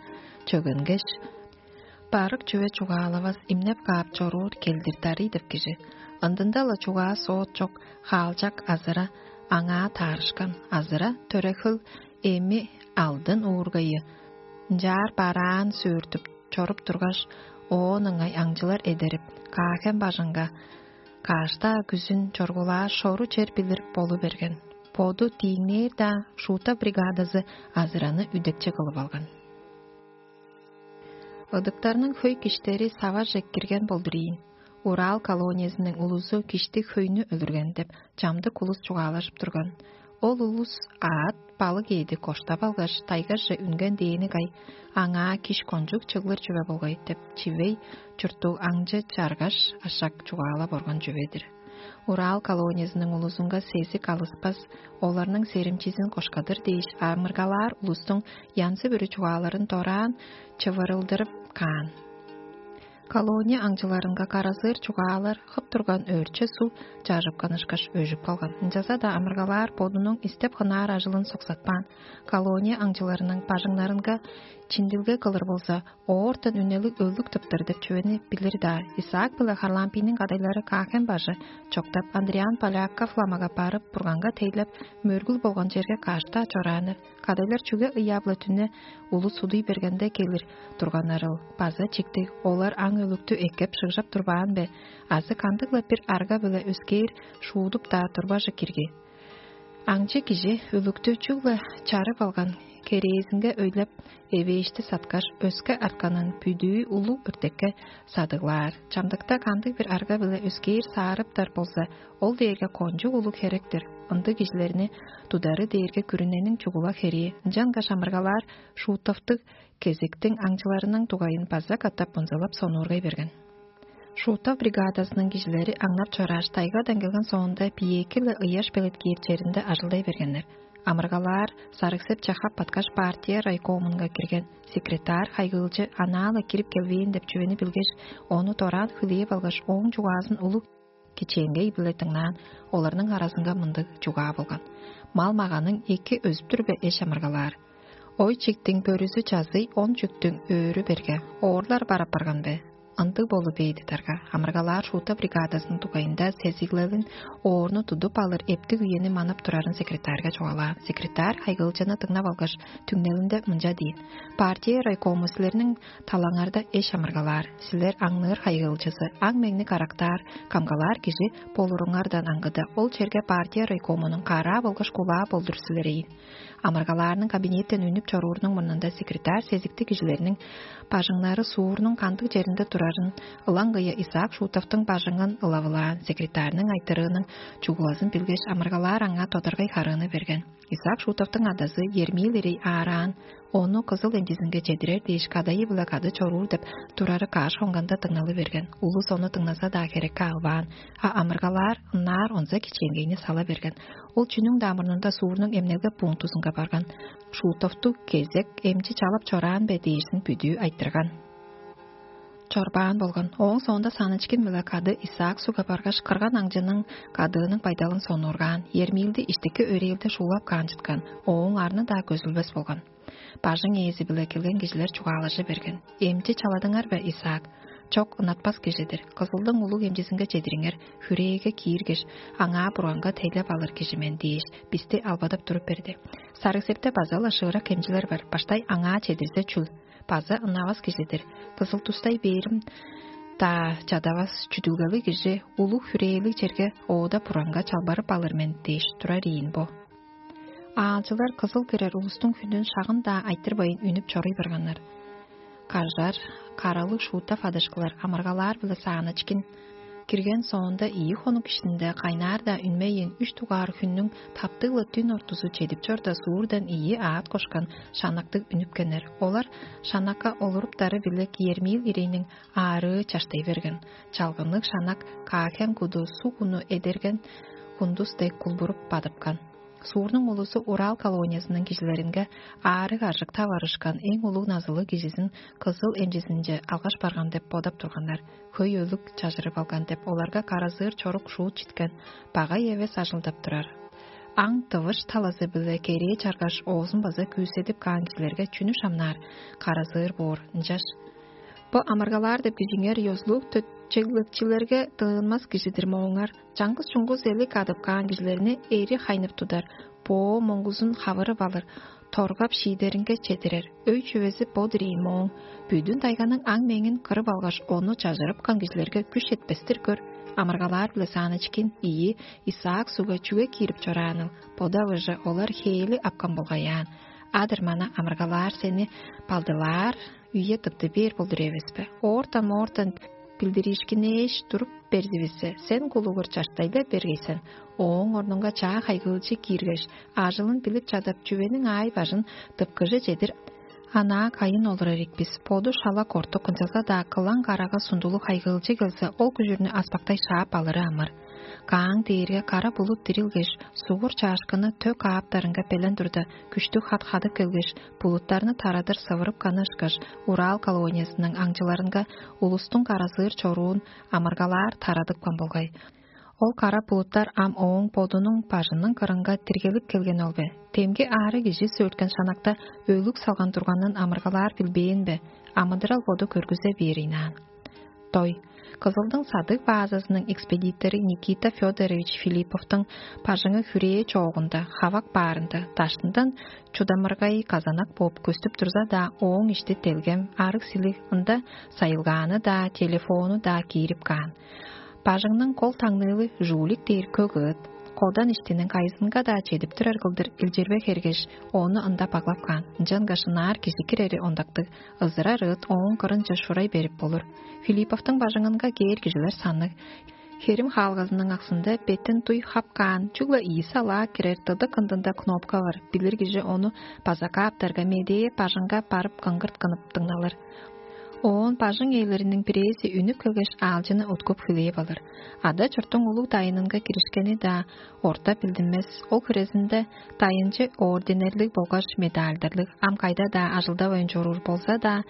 чөгенгеш, барык чүве чугаалавас, имнеп каап чоруур келдир дарый деп кижи. Ындында-ла чугаа соот чок, хаалчак азыра аңаа таарышкан. Азыра төрехил эми алдын уургайы ынчаар бараан сөөртүп чоруп тургаш, оон ыңай аңчылар эдерип, Каахен бажыңга каштаа күзүн чоргулаа шору чер билир болу берген. Боду дииңнээр-даа, шуута бригадазы азыраны үдекче кылып алган. Ыдыктарның хөй киштери саваже кирген болдур ийин. Урал колониязының улузу киштиг хөйнү өлүрген деп, чамдык улус чугаалажып турган. Ол улус аът, балык ээди коштап алгаш, тайгаже үнген дээни кай, аңаа киш кончуг чыглыр чүве болгай деп, чивей чурттуг аңчы чаргаш, ашак чугаалап орган чүве-дир. Урал колониязының улузунга сезик алыспас, оларның серимчизин кошкадыр дээш, амыргалаар улустуң янзы-бүрү чугааларын дораан чывырылдырып каан. Колония аңчыларынга каразыыр чугаалар хып турган өөрче суг чажыпкан ышкаш өжүп калган. Ынчалза-даа амыргалаар бодунуң истеп хынаар ажылын соксатпаан. Колония аңчыларының бажыңнарынга чиндилге кылыр болза, оортан үнелиг өлүк тыптыр деп чүвени билир-даа. Исаак биле Харлампийниң кадайлары Каахен бажы чоктап, Андриан Поляков ламага барып, бурганга тейлеп, мөргүл болган черге каштаа чорааннар. Кадайлар чүге ыяап-ла түне улус судуй бергенде келир турганнарыл база чиктиг, олар аң өлүктү эккеп шыгжап турбаан бе, азы кандыг-ла бир арга-биле өскээр шуудуп-даа турбажы кирги? Аңчы кижи өлүктү чүгле чарып алган керээзинге өйлеп, эвээшти саткаш, өске артканын бүдүү улуг өртекке садыглаар. Чамдыкта кандыг-бир арга-биле өскээр саарыптар болза, ол дээрге кончуг улуг херек-тир. Ындыг кижилерни тудары дээрге күрүнениң чугула херии. Ынчангаш амыргалаар шуутовтуг кезектиң аңчыларының дугайын база катап мынзылап сонуургай берген. Шуутов бригадазының кижилери аңнап чорааш, тайгадан келген соонда биеэки-ле ыяш белеткээр черинде ажылдай бергеннер. Амыргалаар сарыгсеп чахап баткаш, партия райкомунга кирген. Секретарь хайгыылчы анаа-ла кирип келбээн деп чүвени билгеш, ону дораан хүлээп алгаш, ооң чугаазын улуг кичээнгей-биле дыңнаан. Оларның аразынга мындыг чугаа болган: «Мал-маганың эки өзүп-түр бе, эш амыргалаар? Ой чиктиң бөрүзү чазый, он чүктүң өөрү берге, оорлар бар апарган бе?» Ындыг болу бээди тарга. Амыргалаар шуута бригадазының дугайында сезиглелин оорну тудуп алыр эптиг үени манап турарын секретарьга чугаалаан. Секретарь хайгыылчыны дыңнап алгаш, түңнелинде мынча диин: «Партия райкому силерниң талаңарда эш амыргалаар. Силер аңныыр хайгыылчызы, аң-меңни карактаар, камгалаар кижи болуруңардан аңгыда, ол черге партия райкомунуң караа болгаш кулаа болдур силер ийин». Амыргалаарның кабинеттен үнүп чоруурунуң мурнунда секретарь сезиктиг кижилерниң бажыңнары суурнуң кандыг черинде турарын ылаңгыя Исаак Шутовтуң бажыңын ылавылаан. Секретарьның айтырыының чугулазын билгеш, амыргалаар аңаа тодаргай харыыны берген. Исаак Шутовтуң адазы Ермиил ирей аараан, ону кызыл эндизинге чедирер дээш, кадайы-биле кады чоруур деп турары каш хонганда дыңналы берген. Улус ону дыңназа-даа херекке албаан, а амыргалаар ынаар онза кичээнгейни сала берген. Ол чүнүң-даа мурнунда суурнуң эмнелге пунктузунга барган. Шутовту кезек эмчи чалап чораан бе дээрзин бүдүү айтырган. Чорбаан болган. Ооң соонда Санычкин-биле кады Исаак сугга баргаш, кырган аңчының кадыының байдалын сонуургаан, Ермиилди иштики өрээлде шуулап каан чыткан, ооң арны-даа көзүлбес болган. Бажың ээзи-биле келген кижилер чугаалажы берген: «Эмчи чаладыңар бе, Исаак?» «Чок, ынатпас кижи-дир. Кызылдың улуг эмчизинге чедириңер, хүрээге кииргеш, аңаа бурганга тейлеп алыр кижи мен дээш, бисти албадап туруп берди. Сарыг-Септе база-ла шыырак эмчилер бар, баштай аңаа чедирзе чүл? База ынавас кижи-дир. Кызыл тустай бээрим-даа чадавас чүдүлгелиг кижи улуг хүрээлиг черге оода бурганга чалбарып алыр мен дээш турар ийин бо». Аалчылар кызыл кирер улустуң хүнүн шагын-даа айтырбайн үнүп чоруй барганнар. Кажар, каралыг шуутап адышкылар амыргалаар-биле Санычкин кирген соонда ийи хонук иштинде кайнаар-даа үнмейн, үш дугаар хүннүң таптыг-ла дүн ортузу чедип чорда, суурдан ийи аът кошкан шанактыг үнүпкеннер. Олар шанакка олуруптары-биле Ермиил ирейниң аарыы чаштай берген. Чалгынныг шанак Каахен куду суг уну эдерген кундус дег кулбуруп бадыпкан. Суурнуң улузу Урал колониясының кижилеринге аарыг-аржык таварышкан эң улуг назылыг кижизин кызыл эмчизинче алгаш барган деп бодап турганнар. Хөй өлүк чажырып алган деп оларга каразыыр чорук шуут читкен, багай эвес ажылдап турар. Аң тывыш талазы-биле керээ чаргаш, оозун база күүседип каан кижилерге чүнү шамнаар, каразыыр боор. Ынчаш: «Бо амыргалаар деп кижиңер ёзулуг төтчегликчилерге тыынмас кижи-дир мооңар. Чаңгыс-чуңгус элик адып каан кижилерни эри хайнып тудар, боо моңгузун хавырып алыр, торгап шиидеринге чедирер. Өй-чүвези бо-дур ийин мооң. Бүдүн тайганың аң-меңин кырып алгаш, ону чажырыпкан кижилерге күш четпес-тир көр». Амыргалаар-биле Санычкин ийи Исаак сугга чүге киирип чорааныл? Бода-быжы олар хээли апкан болгай аан. Адыр мана амыргалаар сени балдылаар үе тыпты бээр болдур эвеспе? Оортан-моортан билдириишкинээш туруп берзивиссе, сен кулугур чаштайда бергейсен. Ооң орнунга чаа хайгыылчы кииргеш, ажылын билип чадап, чүвениң аай-бажын дыпкыже чедир анаа кайын олурар ийик бис. Боду шала кортук, ынчалза-даа кылаң карага сундулуг хайгыылчы келзе, ол күжүрнү аспактай шаап алыры амыр. Кааң дээрге кара булут дирилгеш, сугур чаашкыны төк кааптарынга белен турда, күштүг хат хадып келгеш, булуттарны тарадыр сывырып канышкаш, Урал колониясының аңчыларынга улустуң каразыыр чоруун амыргалаар тарадыпкан болгай. Ол кара булуттар ам ооң бодунуң бажының кырынга тиргелип келген ол бе? Демги аарыг кижи сөөрткен шанакта өлүг салган турганын амыргалаар билбээн бе? Амыдырал боду көргүзе бээр ыйнаан. Той. Кызылдың садыг баазазының экспедитору Никита Федорович Филипповтуң бажыңы хүрээ чоогунда, хавак баарында, даштындан чудамыргай казанак бооп көстүп турза-даа, ооң ишти делгем, арыг силиг, ында сайылгааны-даа, телефону-даа киирип каан. Бажыңның кол таңныылы жуулик дээр көк ыыт. Кодан иштиниң кайызынга-даа чедип турар кылдыр илчирбе хергеш, ону ында баглап каан. Ынчангаш ынаар кижи кирери ондактыг, ызырар ыыт ооң кырынче шурай берип болур. Филипповтуң бажыңынга кээр кижилер санныг. Херим хаалгазының аксында бетин дуй хап каан, чүгле ийи салаа кирер дыдык ындында кнопка бар. Билир кижи ону база кааптарга, медээ бажыңга барып кыңгырт кынып дыңналыр. Оон бажың ээлериниң бирээзи үнүп келгеш, аалчыны уткуп хүлээп алыр. Ада чурттуң улуг дайынынга киришкени-даа орта билдинмес. Ол хирезинде дайынчы орденерлиг болгаш медальдарлыг, ам кайда-даа ажылдавайн чоруур болза-даа,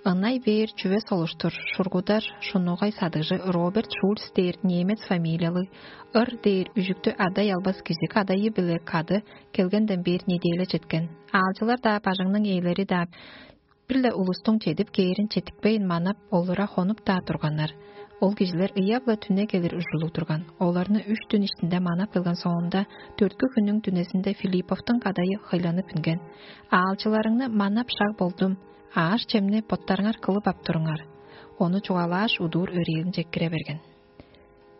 ынай бээр чүве солуштур, шургудар, шунугай садыгжы Роберт Шульц дээр немец фамилиялыг, ыр дээр үжүктү ада-ялбас кижи кадайы-биле кады келгенден бээр неделя четкен. Аалчылар-даа, бажыңның ээлери-даа бир-ле улустуң чедип кээрин четтикпейн манап, олура хонуп-даа турганнар. Ол кижилер ыяп-ла түне келир ужурлуг турган. Оларны үш дүн иштинде манап келген соонда, дөрткү хүннүң дүнезинде Филипповтуң кадайы хыйланып үнген: «Аалчыларыңны манап шаг болдум, ааш-чемни боттарыңар кылып ап туруңар». Ону чугаалааш, удуур өрээлинче кире берген.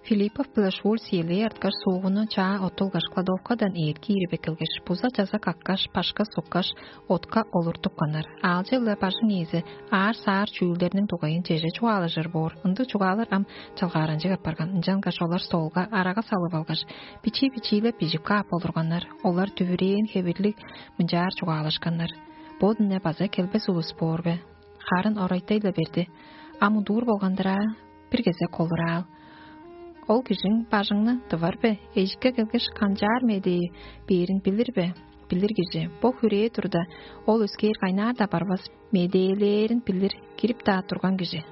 Филиппов биле Шульц элээ арткаш, суугуну чаа оттулгаш, кладовкадан ээрги киирип эккелгеш, буза-чаза каккаш, башка суккаш, отка олуртупканнар. Аалчы-биле бажың ээзи аар-саар чүүлдерниң дугайын чеже чугаалажыр боор. Ындыг чугаалар ам чалгааранчыг апарган. Ынчангаш олар столга арага салып алгаш, бичии-бичиилеп бижип каап олурганнар. Олар дүвүрээн хевирлиг мынчаар чугаалашканнар: «Бо дүне база келбес улус боор бе? Харын орайтай-ла берди. Ам удуур болган-дыр аа, бир кезек колураал. Ол кижиң бажыңны тывар бе? Эжикке келгеш, канчаар медээ бээрин билир бе? Билир кижи, бо хүрээ турда, ол өскээр кайнаар-даа барбас, медээлээрин билир, кирип-даа турган кижи».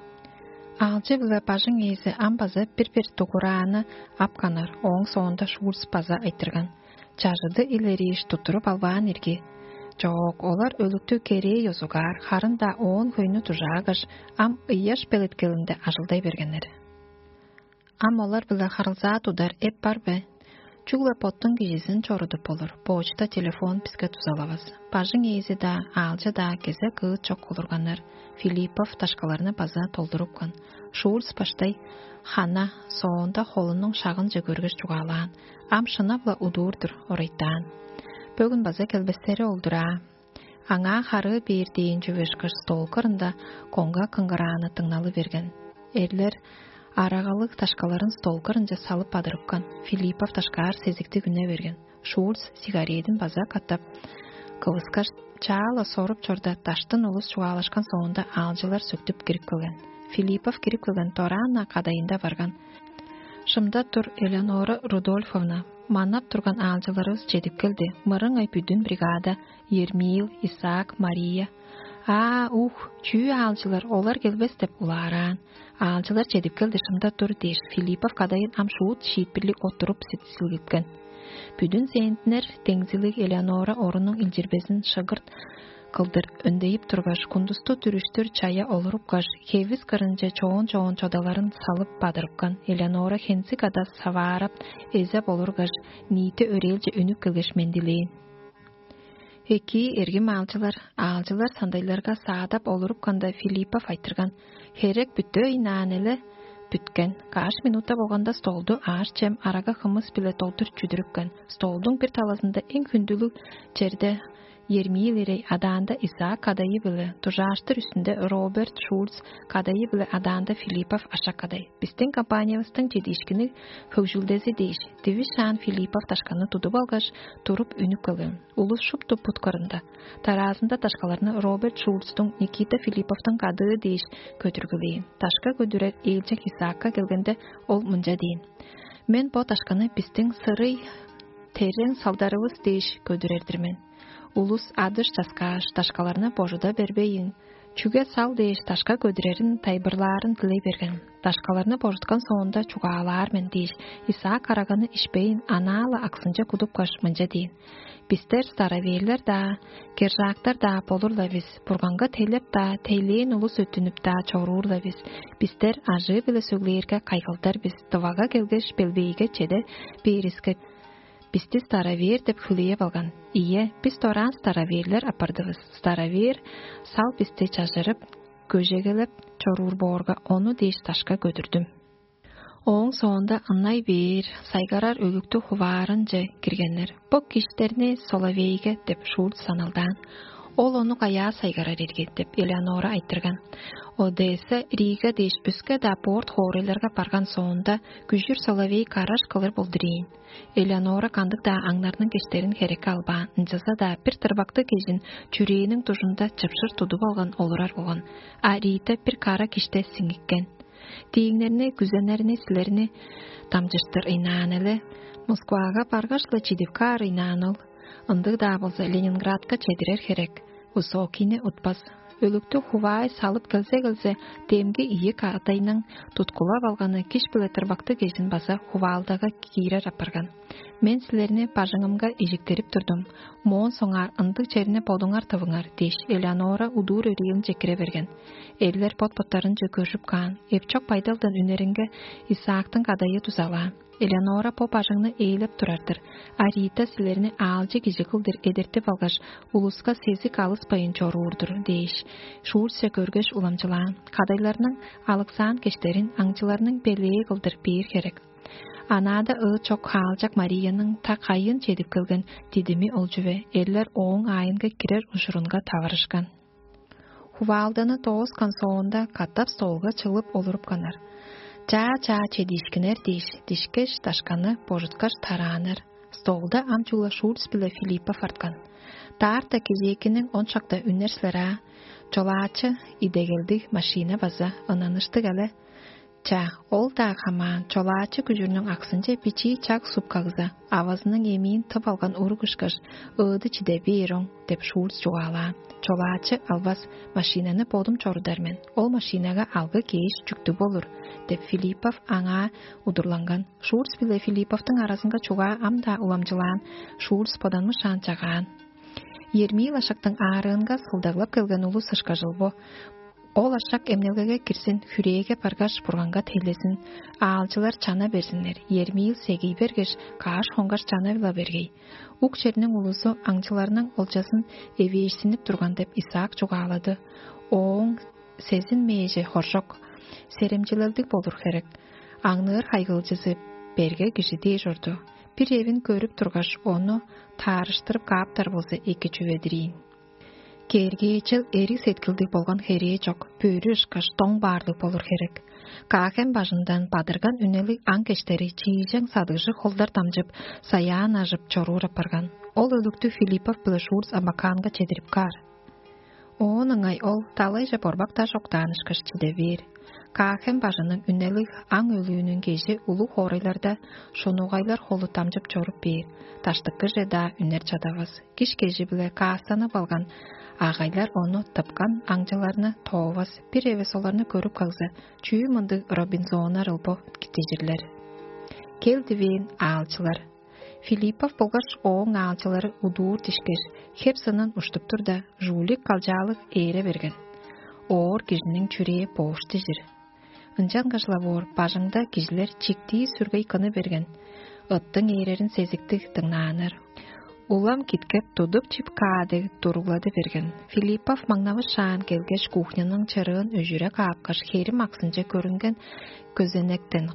Аалчы-биле бажың ээзи ам база бир-бир дугурааны апканнар, ооң соонда Шульц база айтырган: «Чажыды илерииш туттуруп албаан ирги». Чоок, олар өлүктү керээ ёзугаар, харын-даа оон хөйнү дужаагаш, ам ыяш белеткелинде ажылдай бергеннер. Ам олар-биле харылзаа тудар эп бар бе? Чүгле боттуң кижизин чорудуп болур, почта, телефон биске дузалавас. Бажың ээзи-даа, аалчы-даа кезек ыыт чок олурганнар, Филиппов дашкаларны база толдурупкан. Шульц баштай хана, соонда холунуң шагынче көргеш чугаалаан: «Ам шынап-ла удуур-дур, орайтаан. Бөгүн база келбестери ол-дур аа». Аңаа харыы бээр дээн чүве ышкаш, стол кырында коңга кыңгырааны дыңналы берген. Эрлер арагалыг дашкаларын стол кырынче салып бадырыпкан. Филиппов дашкаар сезиктиг үне берген. Шульц сигаредин база катап кывыскаш, чаа-ла соруп чорда, даштын улус чугаалашкан соонда, аалчылар сөктүп кирип келген. Филиппов кирип келген дораан-на кадайында барган. «Шымда тур, Элеонора Рудольфовна, манап турган аалчыларывыс чедип келди, мырыңай бүдүн бригада: Ермил, Исаак, Мария». «Аа, ух, чүү аалчылар, олар келбес» — деп улаараан. «Аалчылар чедип келди, шымда тур» — дээш, Филиппов кадайын ам шуут шиитпирлиг оттуруп силгиткен. Бүдүн центнер деңзилиг Элеонора орунуң илчирбезин шыгырт кылдыр өндейип тургаш, кундусту дүрүштүр чая олурупкаш, хевис кырынче чоон-чоон чодаларын салып бадырыпкан. Элеонора хензиг ада саваарап, эзеп олургаш, ниити өрээлче үнүп келгеш, мендилээн: «Экии, эргим аалчылар». Аалчылар сандайларга саадап олурупканда, Филиппов айтырган: «Херек бүттү ыйнаан эле». Бүткен. Каш минута болганда, столду аъш-чем, арага-хымыс-биле долдур чүдүрүпкен. Столдуң бир талазында эң хүндүлүг черде Ермиил ирей, адаанда Исаак кадайы-биле, дужааштыр үстүнде Роберт Шульц кадайы-биле, адаанда Филиппов ашак кадай. Бистиң компаниявыстың чедиишкинниг хөгжүлдези дээш, дивис шаан Филиппов дашканы тудуп алгаш, туруп үнүп келген. Улус шупту бут кырында. Дараазында дашкаларны Роберт Шульцтуң Никита Филипповтуң кадыы дээш көдүргүлээн. Дашка көдүрер ээлчег Исаакка келгенде, ол мынча дээн: Мен бо дашканы бистиң сырый терең салдарывыс дээш көдүрер-дир мен. Улус адыш часкааш, дашкаларны божуда бербейн, чүге сал дээш дашка көдүрерин тайылбырлаарын дилей берген. Дашкаларны божуткан соонда чугаалаар мен дээш, Исаак араганы ишпейн, анаа-ла аксынче кудупкаш, мынча дээн: «Бистер староверлер-даа, кержаактар-даа болур-ла бис, Бурганга тейлеп-даа, тейлээн улус өттүнүп-даа чоруур-ла бис. Бистер ажыы-биле сөглээрге, кайгылдар бис, дывага келгеш, белбээге чеде бээривиске, бисти старовер деп хүлээп алган. Ийе, бис дораан староверлер апардывыс. Старовер сал бисти чажырып, көжегелеп чоруур боорга, ону дээш дашка көдүрдүм». Ооң соонда ынай бээр сайгарар өлүктү хуваарынче киргеннер. «Бо киштерни Соловейге» деп Шульц саналдаан. «Ол ону каяа сайгарар ирги?» — деп Элеонора айтырган. Одесса, Рига дээш өске-даа порт хоорайларга барган соонда, күжүр Соловей гараж кылыр болдур ийин. Элеонора кандыг-даа аңнарның киштерин херекке албаан, ынчалза-даа бир тырбактыг кижин чүрээниң дужунда чыпшыр тудуп алган олурар болган, а Рита бир кара киште сиңиккен. «Дииңнерни, күзеннерни силерни дамчыштыр ыйнаан эле. Москвага баргаш-ла чидип каар ыйнаан ол. Ындыг-даа болза, Ленинградка чедирер херек. Высокийни утпас. Өлүктү хуваай салып келзе-келзе, демги ийи кадайның туткулап алганы киш биле тырбакты кижин база хуваалдага киирер апарган. Мен силерни бажыңымга ижиктирип турдум. Моон соңгаар ындыг черни бодуңар тывыңар» — дээш, Элеонора удуур өрээлинче кире берген. Эрлер бот-боттарынче көржүп каан, эпчок байдалдан үнеринге Исаактың кадайы дузалаан. Элеонора бо бажыңны ээлеп турар-дыр, а Рита силерни аалчы кижи кылдыр эдертип алгаш, улуска сезик алыспайн чоруур-дур дээш, Шульцче көргеш уламчылаан. Кадайларның алыксаан кештерин аңчыларның белээ кылдыр бээр херек. Анаада ыы чок хаалчак Марияның та кайын чедип келген дидими ол чүве, эрлер ооң аайынга кирер ужурунга таварышкан. Хуваалданы дооскан соонда, катап столга чыглып олурупканнар. «Чаа-чаа чедиишкиннер» дээш, дишкеш, дашканы божуткаш тарааннар. Столда ам чугула Шульц биле Филиппов арткан. Даарта кежээкиниң он шакта үнер силер аа. Чолаачы идегелдиг машина база ынаныштыг але. Ча, ол-даа хамаан, чолаачы күжүрнүң аксынче бичии чак супкагза, авазының эмиин тып алган уруг ышкаш, ыыды чиде бээр оң деп Шульц чугаалаан. Чолаачы албас, машинаны бодум чорудар мен. Ол машинага алгы кээш чүктүг болур деп Филиппов аңаа удурланган. Шульц биле Филипповтуң аразынга чугаа ам-даа уламчылаан, Шульц боданмышаан чагаан. Ермиил ашактың аарыынга сылдаглап келген улус ышкажыл бо. Ол ашак эмнелгеге кирзин, хүрээге баргаш, Бурганга тейлезин, аалчылар чана берзиннер. Ермиил сегий бергеш, кааш хонгаш чана-ла бергей. Ук черниң улузу аңчыларның олчазын эвээшсинип турган деп Исаак чугаалады. Ооң сезин мээже хоржок, серемчилелдиг болур херек. Аңныыр хайгылчызы берге кижи дээш орду. Бир эвин көрүп тургаш, ону таарыштырып кааптар болза, эки чүве-дир ийин. Кээргээчел эриг сеткилдиг болган херээ чок, бөрү ышкаш доң баарлыг болур херек. Каахем бажындан бадырган үнелиг аң кештери чиижең садыгжыг холдар дамчып, саяан ажып чоруур апарган. Ол өлүктү Филиппов биле Шурц Абаканга чедирип каар. Оон ыңай ол далайже борбак даш октаанышкаш чиде бээр. Каахем бажының үнелиг аң өлүүнүң кежи улуг хоорайларда шунугайлар холу дамчып чоруп бээр, даштыккыже-даа үнер чадавас. Киш кежи-биле каастанып алган агайлар ону тыпкан аңчыларны тоовас, бир эвес оларны көрүп кагза, чүү мындыг Робинзоннар ылбо киттижирлер. Кел дивээн аалчылар. Филиппов болгаш ооң аалчылары удуур дишкеш, хеп сынын уштуп турда, жуулик калчаалыг ээре берген. Оор кижиниң чүрээ боош дижир. Ынчангаш-ла боор бажыңда кижилер чиктии сүргей кыны берген, ыттың ээрерин сезиктиг дыңнааннар. Улам киткеп тудуп чип каа дег туруглады берген. Филиппов маңнавышаан келгеш, кухняның чырыын өжүре каапкаш, херим аксынче көрүнген көзенектен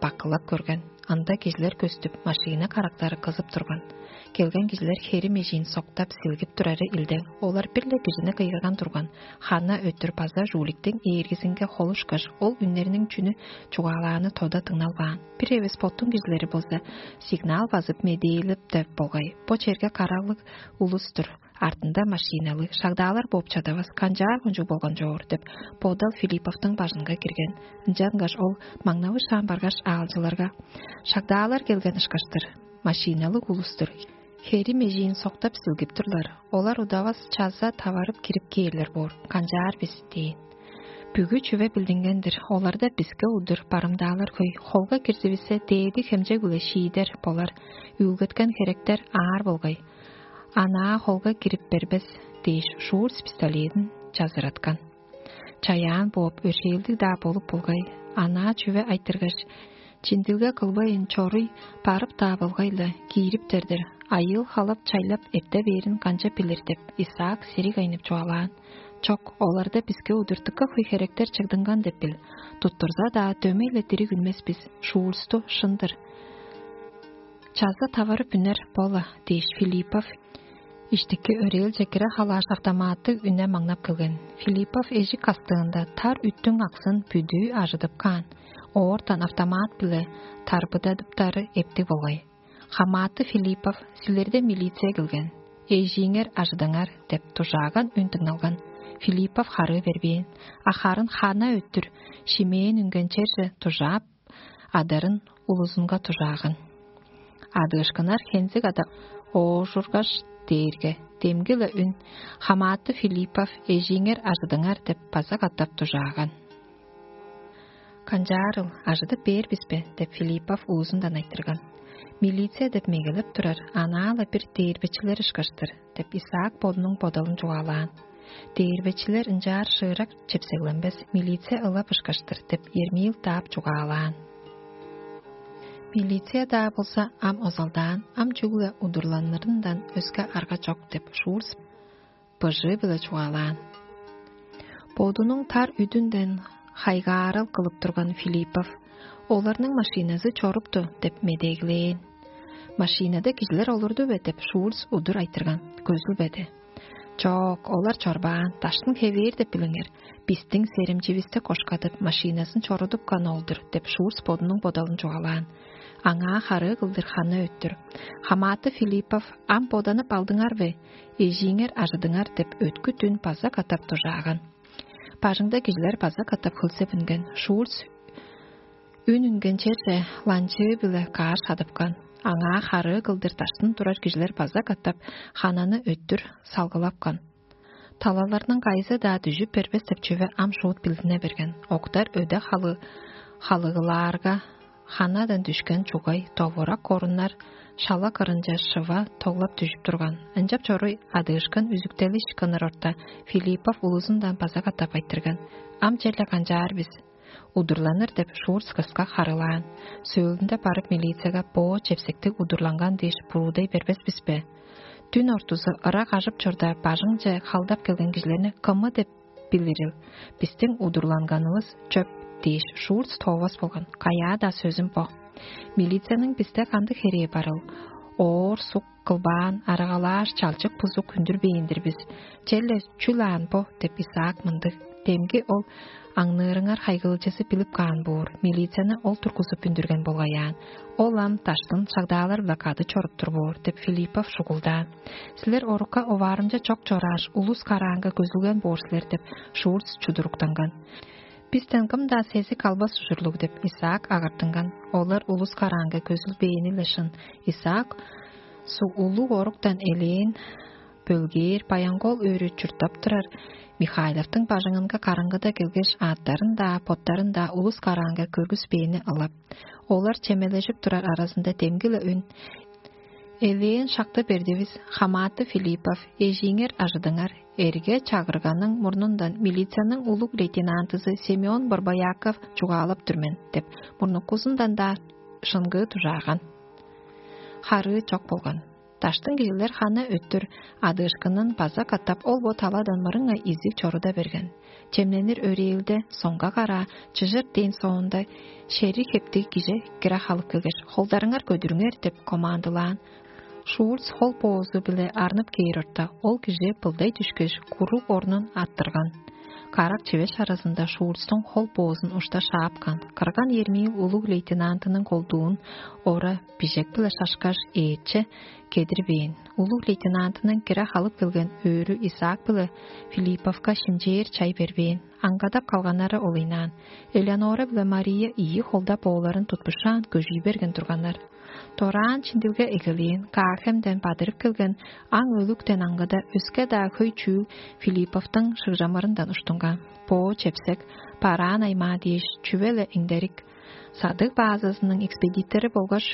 бакылап көрген. Ында кижилер көстүп, машина карактары кызып турган. Келген кижилер херим эжиин соктап, силгип турары илдең. Олар бир-ле кижини кыйгырган турган. Хана өттүр база жууликтиң ээргизинге холушкаш, ол үннерниң чүнү чугаалааны тода дыңналбаан. Бир эвес боттуң кижилери болза, сигнал базып медээлеп деп болгай. Бо черге караглыг улус-тур. Артында машиналыг, шагдаалар бооп чадавас, канчаар кончуг болган чоор деп, бодал Филипповтуң бажынга кирген. Ынчангаш ол маңнавы шаан баргаш, аалчыларга: «Шагдаалар келген ышкаштыр, машиналыг улус-тур. Херим эжиин соктап силгип турлар. Олар удавас чаза таварып кирип кээрлер боор, канчаар бис?» – дээн. Бүгү чүве билдинген-дир, оларда биске удур барымдаалар хөй. Холга кирзивиссе, дээди хемчег-биле шиидер болар. Үүлгеткен херектер аар болгай. Анаа холга кирип бербес дээш, Шурц пистоледин чазыраткан. Чаяан бооп, өршээлдиг-даа болуп болгай. Анаа чүве айтыргаш, чиндилге кылбайн, чоруй барып-даа болгай-ла, киириптер-дир. Айыыл халап-чайлап эрте бээрин канчап билир деп, Исаак сириг айнып чугаалаан. Чок, оларда биске удуртукка хөй херектер чыгдынган деп бил. Туттурза-даа, дөмей-ле дириг үнмес бис, Шурцту шын-дыр. Чаза таварып үнер бо-ла дээш, Филиппов иштики өрээлче кире халааш, автоматтыг үне маңнап келген. Филиппов эжик кастыында тар үттүң аксын бүдүү ажыдып каан. Оортан автомат-биле тарбыдадыптары эптиг болгай. «Хамааты Филиппов, силерде милиция келген. Эжииңер ажыдыңар» – деп дужааган үн дыңналган. Филиппов харыы бербээн, а харын хана өттүр шимээн үнген черже дужаап, адарын улузунга дужааган. Адыышкыннар хензиг ада оожургаш дээрге, демги-ле үн: «Хамааты Филиппов, эжииңер ажыдыңар» – деп база катап дужааган. «Канчаарыл, ажыдып бээр бис бе?» – деп Филиппов улузундан айтырган. «Милиция деп мегелеп турар, анаа-ла бир дээрбечилер ышкаш-тыр» – деп Исаак бодунуң бодалын чугаалаан. «Дээрбечилер ынчаар шыырак чепсегленмес, милиция ылап ышкаш-тыр» – деп Ермил даап чугаалаан. «Милиция-даа болза ам озалдаан, ам чүгле удурланырындан өске арга чок» – деп Шурц быжыы-биле чугаалаан. Бодунуң тар үдүнден хайгаарал кылып турган Филиппов: «Оларның машиназы чорупту» – деп медеглээн. «Машинада кижилер олурду бе?» – деп Шурц удур айтырган. Көзүлбеди. «Чок, олар чорбаан, даштын хевээр деп билиңер. Бистиң серемчивисти кошкадып, машиназын чорудупкан ол-дур» – деп Шурц бодунуң бодалын чугаалаан. Аңаа харыы кылдыр хана өттүр: «Хамааты Филиппов, ам боданып алдыңар бе? Эжииңер ажыдыңар» – деп өткүт үн база катап дужааган. Бажыңда кижилер база катап хөлзеп үнген. Шурц үн үнген черже ланчыы-биле каар шадыпкан. Аңаа харыы кылдыр даштын турар кижилер база катап хананы өттүр салгылапкан. Талаларның кайызы-даа дүжүп бербес деп чүве ам шуут билдине берген. Октар өде халы халыгылаарга, ханадан дүшкен чугай, довурак коруннар шала кырынче шыва тоглап дүжүп турган. Ынчап чоруй адыышкын үзүктелиш кыныр орта, Филиппов улузундан база катап айтырган: «Ам черле канчаар бис?» «Удурланыр» – деп Шурц кыска харыылаан. Сөөлүнде барып милицияга: «Бо чепсектиг удурланган дээш буруудай бербес бис бе? Дүн ортузу ырак ажып чорда, бажыңче халдап келген кижилерни кымы деп билирил? Бистиң удурланганывыс чөп» – дээш, Шурц тоовас болган. «Каяа-даа сөзүм бо. Милицияның бисте кандыг херээ барыл? Оор сук кылбаан, арагалааш, чалчык бузук үндүрбээн-дир бис. Черле чүл аан бо?» – деп Исаак мындыг. Демги ол аңныырыңар хайгыылчызы билип каан боор, милицияны ол тургузуп үндүрген болгай аан. Ол ам даштын шагдаалар-биле кады чоруп тур боор деп Филиппов шугулдаан. «Силер орукка оваарымча чок чорааш, улус караанга көзүлген боор силер» – деп Шурц чудуруктанган. «Бистен кым-даа сезик албас ужурлуг» – деп Исаак агартынган. Олар улус караанга көзүлбээни-ле шын. Исаак су улуг оруктан элээн бөлгээр баянгол өрү чурттап турар Михайловтуң бажыңынга караңгыда келгеш, аъттарын-даа, боттарын-даа улус караанга көргүспээни ылап. Олар чемележип турар аразында демги-ле үн: «Элээн шакты бердивис, хамааты Филиппов, эжииңер ажыдыңар». Эрге чагырганың мурнундан милицияның улуг лейтенантызы Семён Борбояков чугаалап тур мен деп, мурнукузундан-даа шыңгыы дужааган. Харыы чок болган. Даштың кижилер ханы өттүр адыышкынын база катап ол бо таладан мырыңай изиг чоруда берген. Чемненир өрээлде соңга караа чыжыр дээн соонда, шериг хептиг кижи кире халып келгеш: «Холдарыңар көдүрүңер» – деп командылаан. Шурц хол боозу-биле арнып кээр орта, ол кижи былдай дүшкеш, куруг орнун арттырган. Карак чивеш аразында Шурцтуң хол боозун ушта шаапкан. Кырган Ермиил улуг лейтенантының колдуун ора бижек-биле шашкаш, ээче кедирбээн. Улуг лейтенантының кире халып келген өөрү Исаак биле Филипповка шимчээр чай бербээн. Аңгадап калганнары олайнаан. Элеонора биле Мария ийи холда бооларын тутпушаан көжүй берген турганнар. Дораан чиндилге эгелээн, Каахемден бадырып келген аң өлүктен аңгыда өске-даа хөй чүүл Филипповтуң шыгжамырындан уштунган. Боо чепсек, бараан аймаа дээш чүве-ле эңдерик садыг баазазының экспедитори болгаш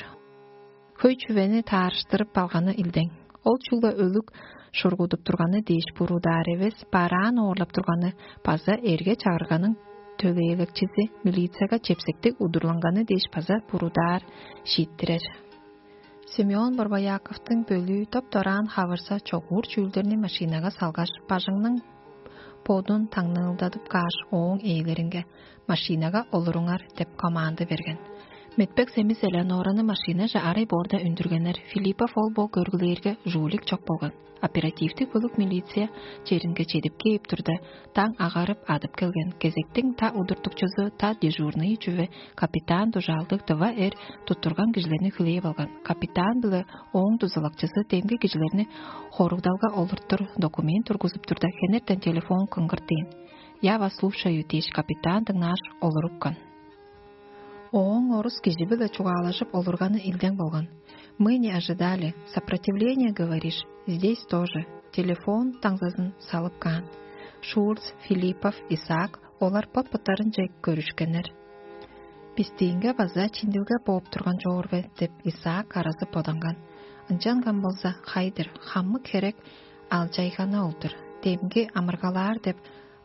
хөй чүвени таарыштырып алганы илдең. Ол чугла өлүг шургудуп турганы дээш буруудаар эвес, бараан оорлап турганы база эрге чагырганың төлээлекчизи милицияга чепсектиг удурланганы дээш база буруудаар шииттирер. Семён Борбояковтуң бөлүү топ-дораан хавырса чогуур чүүлдерни машинага салгаш, бажыңның бодун таңныылдадып кааш, ооң ээлеринге: «Машинага олуруңар» — деп команда берген. Метпек семис Элеонораны машинаже арай боорда үндүргеннер. Филиппов ол бо көргүлээрге жулик чок болган. Оперативтик бөлүк милиция черинге чедип кээп турда, таң агарып адып келген. Кезектиң та удуртукчузу, та дежурный чүве капитан дужаалдыг дыва эр туттурган кижилерни хүлээп алган. Капитан биле ооң дузалакчызы демги кижилерни хоругдалга олуртур документ тургузуп турда, хенертен телефон кыңгыртыйн. «Я вас слушаю» — дээш, капитан дыңнааш олурупкан. Ооң орус кижи-биле чугаалажып олурганы илдең болган. «Мы не ожидали. Сопротивление, говоришь? Здесь тоже». Телефон таңзазын салып каан. Шурц, Филиппов, Исаак олар бот-боттарынче көрүшкеннер. «Бистиинге база чиндилге бооп турган чоор бе?» — деп, Исаак аразы боданган. Ынчанган болза, хайдыр, хамык херек алчайганы ол-дур. Демги амыргалаар деп,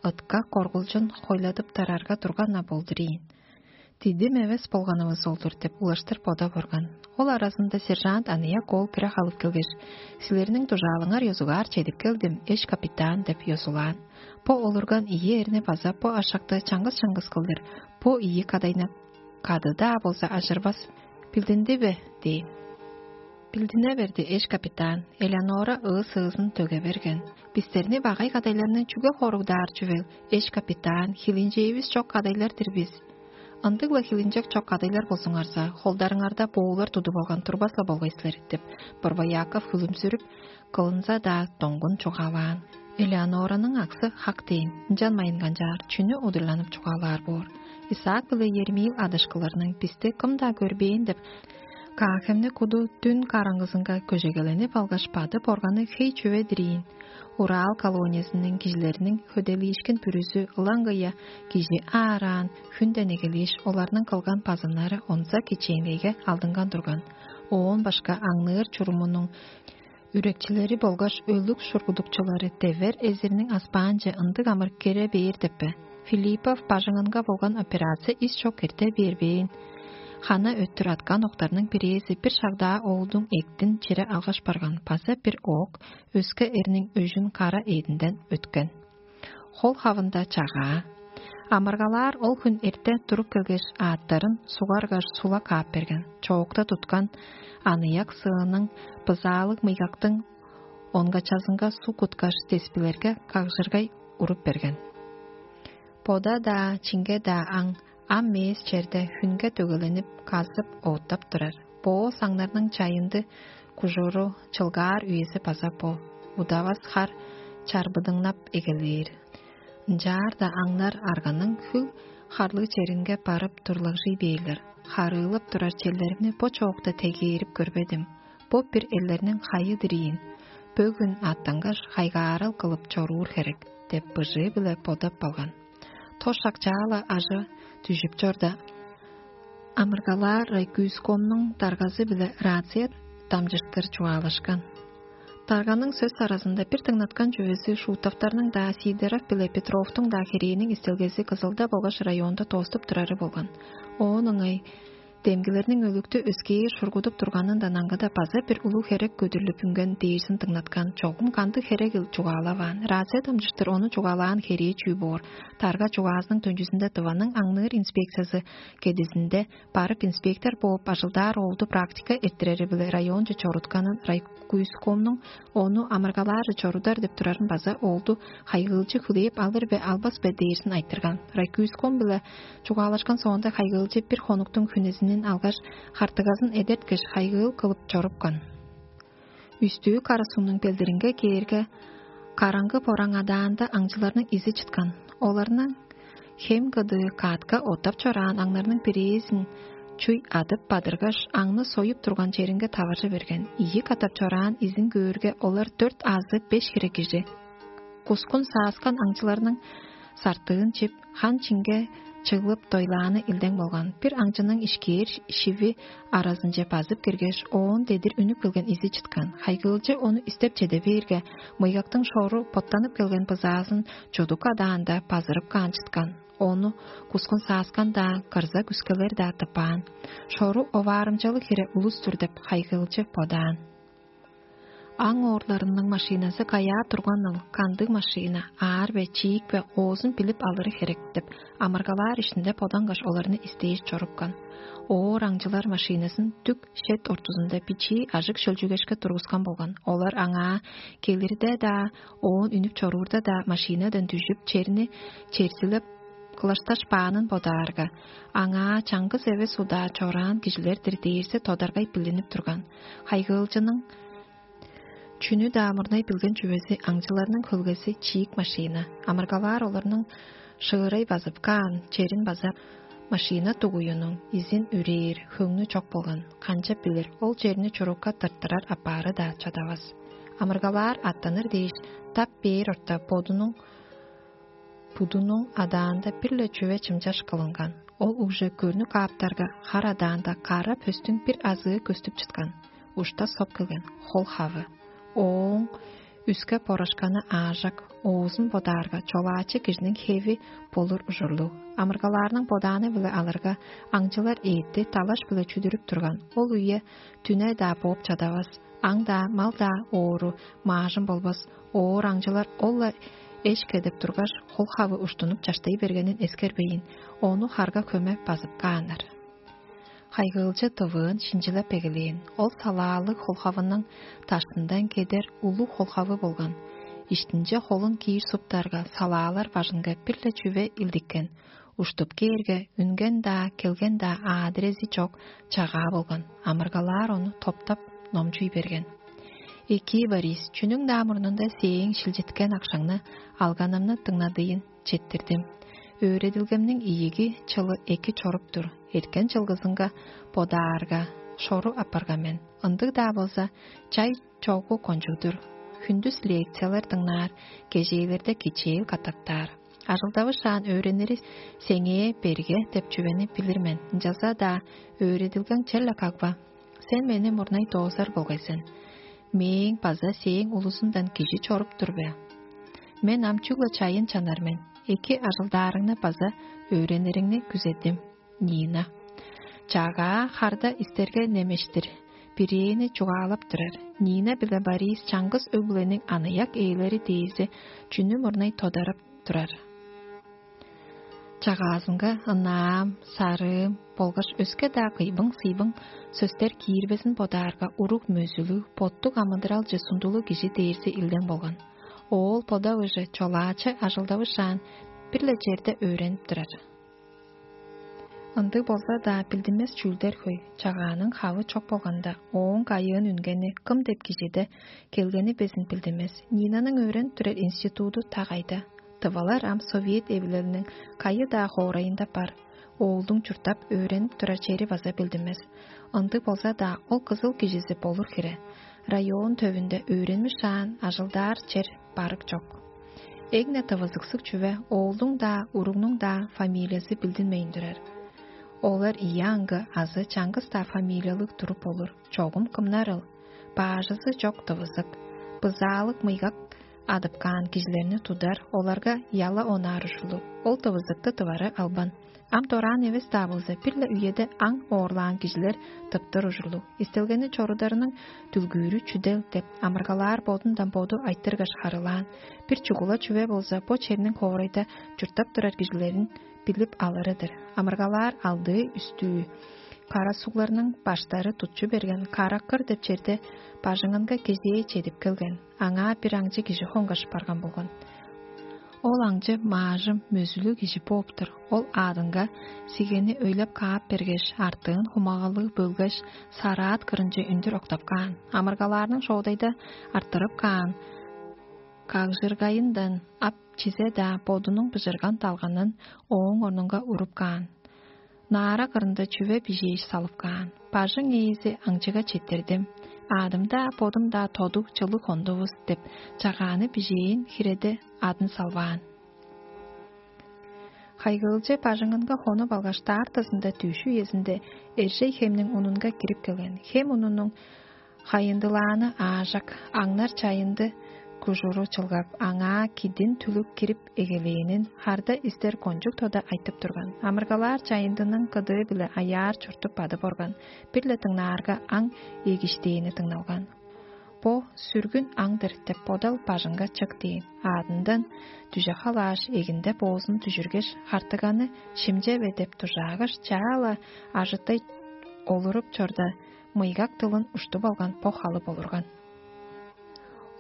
ытка коргулчун хойладып тарарга турган-на болдур ийин. «Дидим эвес болганывыс ол-дур» — деп улаштыр бодап орган. Ол аразында сержант аныяк оол кире халып келгеш: «Силерниң дужаалыңар ёзугаар чедип келдим, эш капитан» — деп ёзулаан. Бо олурган ийи эрни база бо ашакты чаңгыс-чаңгыс кылдыр, бо ийи кадайны кады-даа болза ажырбас. «Билдинди бе?» — дээн. «Билдине берди, эш капитан». Элеонора ыы-сыызын төге берген. «Бистерни багай кадайларны чүге хоругдаар чүвел, эш капитан? Хилинчээвис чок кадайлар-дыр бис». «Ындыг-ла хилинчек чок кадайлар болзуңарза, холдарыңарда боолар тудуп алган турбас-ла болгай силер» — деп, Борбояков хүлүмзүрүп, кылынза-даа доңгун чугаалаан. Элеонораның аксы хак дээн, ынчан майынганчаар чүнү удурланып чугаалаар боор? Исаак биле Ермил адышкыларның: «Бисти кым-даа көрбээн» — деп, Каахемни куду дүн караңгызынга көжегеленип алгаш, бадып органы хей чүве-дир ийин. Урал колониязының кижилериниң хөделиишкен бүрүзү ылаңгыя кижи аараан, хүнден эгелээш, оларның кылган базымнары онза кичээнгейге алдынган турган. Оон башка аңныыр чурумунуң үрекчилери болгаш өлүг шургудукчулары девер эзирниң аспаанче ындыг амыр кире бээр деп бе? Филиппов бажыңынга болган операция ис чок эрте бербээн. Хана өттүр аткан октарның бирээзи бир шагда оолдуң эктин чире алгаш барган, база бир оок өске эрниң өжүн кара эъдинден өткен. Хол хавында чагаа. Амыргалаар ол хүн эрте туруп келгеш, аъттарын сугаргаш, сула каап берген. Чоокта туткан аныяк сыының, бызаалыг мыйгактың онгачазынга суг куткаш, теспилерге кагжыргай уруп берген. Бода-даа, чинге-даа аң ам мээс черде хүнге дөгеленип, казып, оъттап турар. Бо саңнарның чайынды кужуру, чылгаар үези база бо. Удавас хар чарбыдыңнап эгелээр. Ынчаарда аңнар арганың хүл харлыг черинге барып турлагжый бээрлер. Харыылап турар черлеримни бо чоокта тегээрип көрбедим. Бо бир элдерниң хайы-дыр ийин. Бөгүн аттангаш, хайгаарал кылып чоруур херек деп, быжыы-биле бодап калган. Тос шак чаала ажы дүжүп чорда, амыргалаар райкүйскомнуң даргазы-биле рация дамчыштыр чугаалашкан. Дарганың сөс аразында бир дыңнаткан чүвези Шутовтарның-даа, Сидоров биле Петровтуң-даа херээниң истелгези Кызылда болгаш районда тооступ турары болган. Оон ыңай демгилерниң өлүктү өскээр шургудуп турганындан аңгыда база бир улуг херек көдүрлүп үнген дээрзин дыңнаткан. Чогум кандыг херегил чугаалаваан. Рация дамчыштыр ону чугаалаан херээ чүү боор? Тарга чугаазының төнчүзүнде Тываның аңныыр инспекциясы кедизинде барып инспектор бооп ажылдаар оолду практика эрттирери-биле районче чорутканын, райкуйскомнуң ону амыргалаары чорудар деп турарын база оолду хайгыылчы хүлээп алыр бе, албас бе дээрзин айтырган. Райкуйском-биле чугаалашкан соонда хайгыылчы бир хонуктуң хүнезинин алгаш, хартыгазын эдерткеш, хайгыыл кылып чорупкан. Үстүү кара сугнуң белдиринге кээрге, караңгы бораң адаанда аңчыларның изи чыткан. Оларның хем кыдыы каатка оттап чораан аңнарның бирээзин чуй адып бадыргаш, аңны союп турган черинге таваржы берген. Ийи катап чораан изин көөрге, олар дөрт азы беш хире кижи. Кускун сааскан аңчыларның сартыын чип, хан чинге чыглып, дойлааны илдең болган. Бир аңчының ишкээр шиви аразынче базып киргеш, оон дедир үнүп келген изи чыткан. Хайгыылчы ону истеп чеде бээрге, мыйгактың шору боттанып келген бызаазын чудук адаанда базырып каан чыткан. Ону кускун сааскан-даа, кырза күскелер-даа тыппаан. Шору оваарымчалыг хире улус-тур деп хайгыылчы бодаан. Аң оорларының машиназы каяа турганыл, кандыг машина, аар бе, чиик бе, оозун билип алыры херек деп, амыргалаар иштинде бодангаш оларны истээш чорупкан. Оор аңчылар машиназын дүк шет ортузунда бичии ажык шөлчүгешке тургускан болган. Олар аңаа келирде-даа, оон үнүп чоруурда-даа машинадан дүжүп, черни черзилеп кылашташ баанын бодаарга, аңаа чаңгыс эвес удаа чораан кижилер-дир дээрзи тодаргай билинип турган. Хайгыылчының чүнү-даа мурнай билген чүвези аңчыларның хөлгези чиик машина. Амыргалаар оларның шыырай базып каан черин база машина дугуюнуң изин үрээр хөңнү чок болган. Канчап билир, ол черни чурукка тырттырар апаары-даа чадавас. Амыргалаар аттаныр дээш, тап бээр орта бодунуң будунуң адаанда бир-ле чүве чымчаш кылынган. Ол уже көрнү кааптарга, хар адаанда кара пөстүң бир азыы көстүп чыткан, ушта соп келген хол хавы. Ооң үске борашканы аажак, оозун бодаарга, чолаачы кижиниң хеви болур ужурлуг. Амыргалаарның бодааны-биле алырга, аңчылар эътти талаш-биле чүдүрүп турган. Ол үе дүне-даа бооп чадавас. Аңдаа, мал-даа оору, маажын болбас. Оор аңчылар ол-ла эш кедип тургаш, хол хавы уштунуп чаштай бергенин эскербейн, ону харга хөме базып кааннар. Хайгыылчы тывыын шинчилеп эгелээн. Ол салаалыг холхавының даштындан кедер улуг холхавы болган. Иштинче холун киир суптарга, салаалар бажынга бир-ле чүве илдиккен. Уштуп кээрге, үнген-даа, келген-даа аадырези чок чагаа болган. Амыргалаар ону топтап, номчуй берген. Экии, Борис, чүнүң-даа мурнунда сээң шилчиткен акшаңны алганымны дыңнадыйын четтирдим. Өөредилгемниң ийиги чылы эки чоруп тур. Эрткен чылгызынга бодаарга, шору апарган мен. Ындыг-даа болза, чай чогу кончуг-дур. Хүндүс лекциялар дыңнаар, кежээлерде кичээл катаптаар. Ажылдавышаан өөреннери сеңээ берге деп чүвени билир мен. Ынчалза-даа өөредилгең черле кагба. Сен мени мурнай доозар болгай сен. Мээң база сээң улузундан кижи чоруп тур бе? Мен ам чүгле чайын чанар мен. Эки ажылдаарыңны база өөренериңни күзедим. Нина. Чагаа харда истерге немештир. Бирээни чугаалап турар. Нина биле Борис чаңгыс өг-бүлениң аныяк ээлери дээзи чүнү мурнай тодарап турар. Чагаазынга ынаам, сарыым болгаш өске-даа кыйбың-сыйбың сөстер киирбезин бодаарга, уруг мөзүлүг, боттуг амыдыралче сундулуг кижи дээрзи илдең болган. Оол бодавыжы чолаачы ажылдавышаан, бир-ле черде өөренип турар. Ындыг болза-даа, билдинмес чүүлдер хөй. Чагааның хавы чок болганда, ооң кайыын үнгени кым деп кижиде келгени безин билдинмес. Нинаның өөренип турар институду та кайда? Тывалар ам Совет Эвилелиниң кайы-даа хоорайында бар. Оолдуң чурттап, өөренип турар чери база билдинмес. Ындыг болза-даа, ол кызыл кижизи болур хире. Район төвүнде өөренмишаан ажылдаар чер барык чок. Эң-не тывызыксыг чүве, оолдуң-даа, уругнуң-даа фамилиязы билдинмейн турар. Олар ийи аңгы азы чаңгыс-даа фамилиялыг туруп болур. Чогум кымнарыл? Баажызы чок тывызык, бызаалык мыйгак адып каан кижилерни тудар, оларга яла онаар ужурлуг. Ол тывызыкты тывары албан. Ам дораан эвес-даа болза, бир-ле үеде аң оорлаан кижилер тыптыр ужурлуг. Истелгени чорударының дүлгүүрү чүдел деп, амыргалаар бодундан боду айтыргаш харылаан. Бир чугула чүве болза, бо черниң хоорайда чурттап турар кижилерин билип алыры-дыр. Амыргалаар алдыы үстүү кара сугларның баштары тутчу берген Караккыр деп черде бажыңынга кезээ чедип келген. Аңаа бир аңчы кижи хонгаш барган болган. Ол аңчы маажым мөзүлүг кижи бооп-тур. Ол аадынга сигени өйлеп каап бергеш, артыын хумагалыг бөлгеш, сараат кырынче үндүр октап каан. Амыргалаарның шоодайда арттырып каан кагжыргайындан ап чизе-даа бодунуң быжырган далганын ооң орнунга уруп каан. Наара кырында чүве бижээш салып каан. Бажың ээзи аңчыга четтирдим. Аадым-даа, бодум-даа тодуг чылыг хондувус деп, чагааны бижээн хиреде адын салбаан. Хайгыылче бажыңынга хонуп алгаш, даартазында дүъш үезинде Эржей хемниң унунга кирип келген. Хем унунуң хайындылааны аажак, аңнар чайынды кужуру чылгап, аңаа кидин түлүк кирип эгелээнин харда истер кончуг тода айтып турган. Амыргалаар чайындының кыдыы-биле аяар чуртуп бадып орган, бир-ле дыңнаарга аң эгиштээни дыңналган. Бо сүргүн аңдыр деп бодал бажыңга чык дээн. Аадындан дүже халааш, эгинде боозун дүжүргеш, хартыганы шимчеве деп дужаагаш, чаа-ла ажытай олуруп чорда, мыйгак дылын уштуп алган бо халып олурган.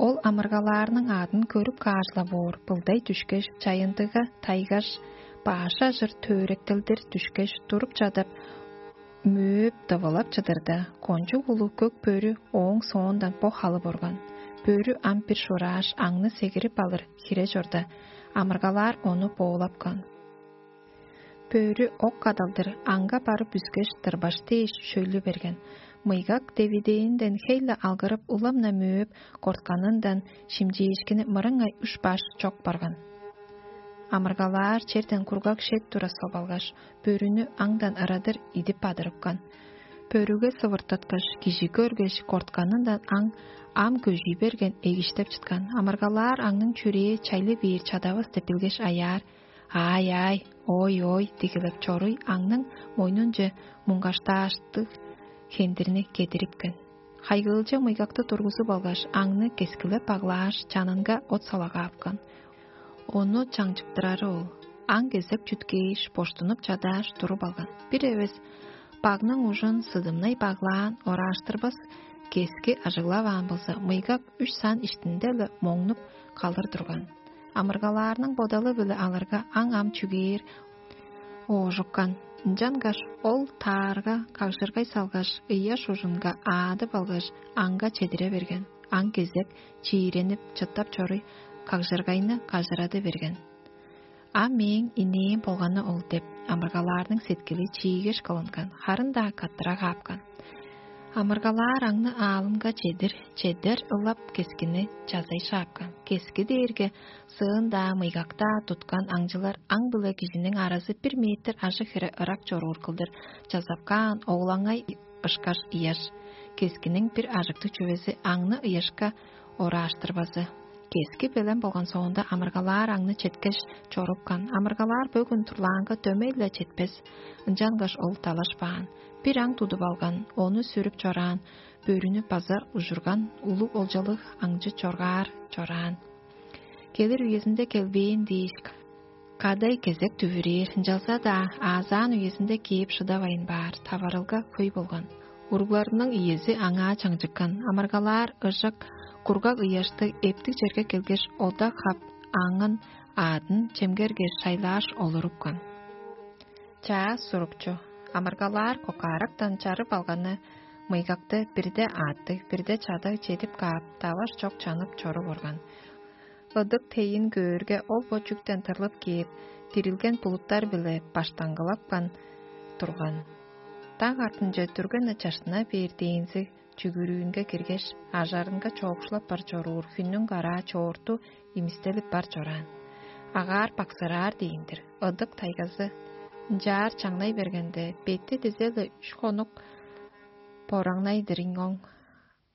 Ол амыргалаарның аадын көрүп каажыла боор, былдай дүшкеш, чайындыга тайгаш, бааш ажыр төөректелдир дүшкеш, туруп чадап, мөөп дывылап чыдырда, кончуг улуг көк бөрү ооң соондан бо халып орган. Бөрү ам бир шурааш, аңны сегирип алыр хире чорда, амыргалаар ону боолапкан. Бөрү ок кадалдыр аңга барып үскеш, тырбаш дээш шөйлү берген. Мыйгак девидээнден хей-ле алгырып, улам-на мөөп, кортканындан шимчээшкини мырыңай үш баш чок барган. Амыргалаар черден кургаг шет тура соп алгаш, бөрүнү аңдан ырадыр идип бадырыпкан. Бөрүге сывыртыткаш, кижи көргеш, кортканындан аң ам көжүй берген, эгиштеп чыткан. Амыргалаар аңның чүрээ чайлы бээр чадавыс деп билгеш аяар: «Аай-аай, ой-ой!» — дигилеп чоруй аңның мойнунче муңгаштааштыг хендирни кедирипкен. Хайгыылче мыйгакты тургузуп алгаш, аңны кескилеп баглааш, чанынга от салагаапкан. Ону чаңчыктырары ол. Аң кезек чүткээш, боштунуп чадааш, туруп алган. Бир эвес багның ужун сыдымнай баглаан, орааштырбас кески ажыглаваан болза, мыйгак үш сан иштинде-ле моңнуп калыр турган. Амыргалаарның бодалы-биле алырга, аң ам чүгээр оожуккан. Ынчангаш ол таарга кагжыргай салгаш, ыяш ужунга аадып алгаш, аңга чедире берген. Аң кезек чииренип, чыттап чоруй, кагжыргайны кажырады берген. «А мээң инээм болганы ол» — деп, амыргалаарның сеткили чиигеш кылынган, харын-даа каттыра каапкан. Амыргалаар аңны аалынга чедир, чедер ылап кескини чазай шаапкан. Кески дээрге сыын-даа, мыйгак-даа туткан аңчылар аң-биле кижиниң аразы бир метр ажыг хире ырак чоруур кылдыр чазап каан оглаңай ышкаш ыяш. Кескиниң бир ажыктыг чүвези аңны ыяшка орааштырбазы. Кески белен болган соонда, амыргалаар аңны четкеш чорупкан. Амыргалаар бөгүн турлаанга дөмей-ле четпес, ынчангаш ол далашпаан. Бир аң тудуп алган, ону сүрүп чораан, бөрүнү база ужурган улуг олчалыг аңчы чоргаар чораан. Келир үезинде келбээн дээш, кадай кезек дүвүрээр, ынчалза-даа аазаан үезинде кээп шыдавайн баар, таварылга хөй болган. Уругларының иези аңаа чаңчыккан, амыргалаар ыжык, кургаг ыяштыг эптиг черге келгеш, ода хап, аңын аадын чемгерге шайлааш олурупкан. Чаа сурукчу. Амыргалаар кокаарактан чарып алганы мыйгакты бирде ааттыг, бирде чадаг чедип каап, даваш чок чанып чоруп орган. Ыдык тейин көөрге, ол бо чүктен тырлып кээп, дирилген булуттар-биле баштаңгылапкан турган. Даг артынче дүрген-не чаштына бээр дээнзиг чүгүрүүнге киргеш, ажарынга чоокшулап бар чоруур хүннүң караа чоорту имистелип бар чораан. Агаар баксыраар дээн-дир, ыдык тайгазы ынчаар чаңнай бергенде, бетти дизе-ле үш хонук бораңнай-дыр ийин оң.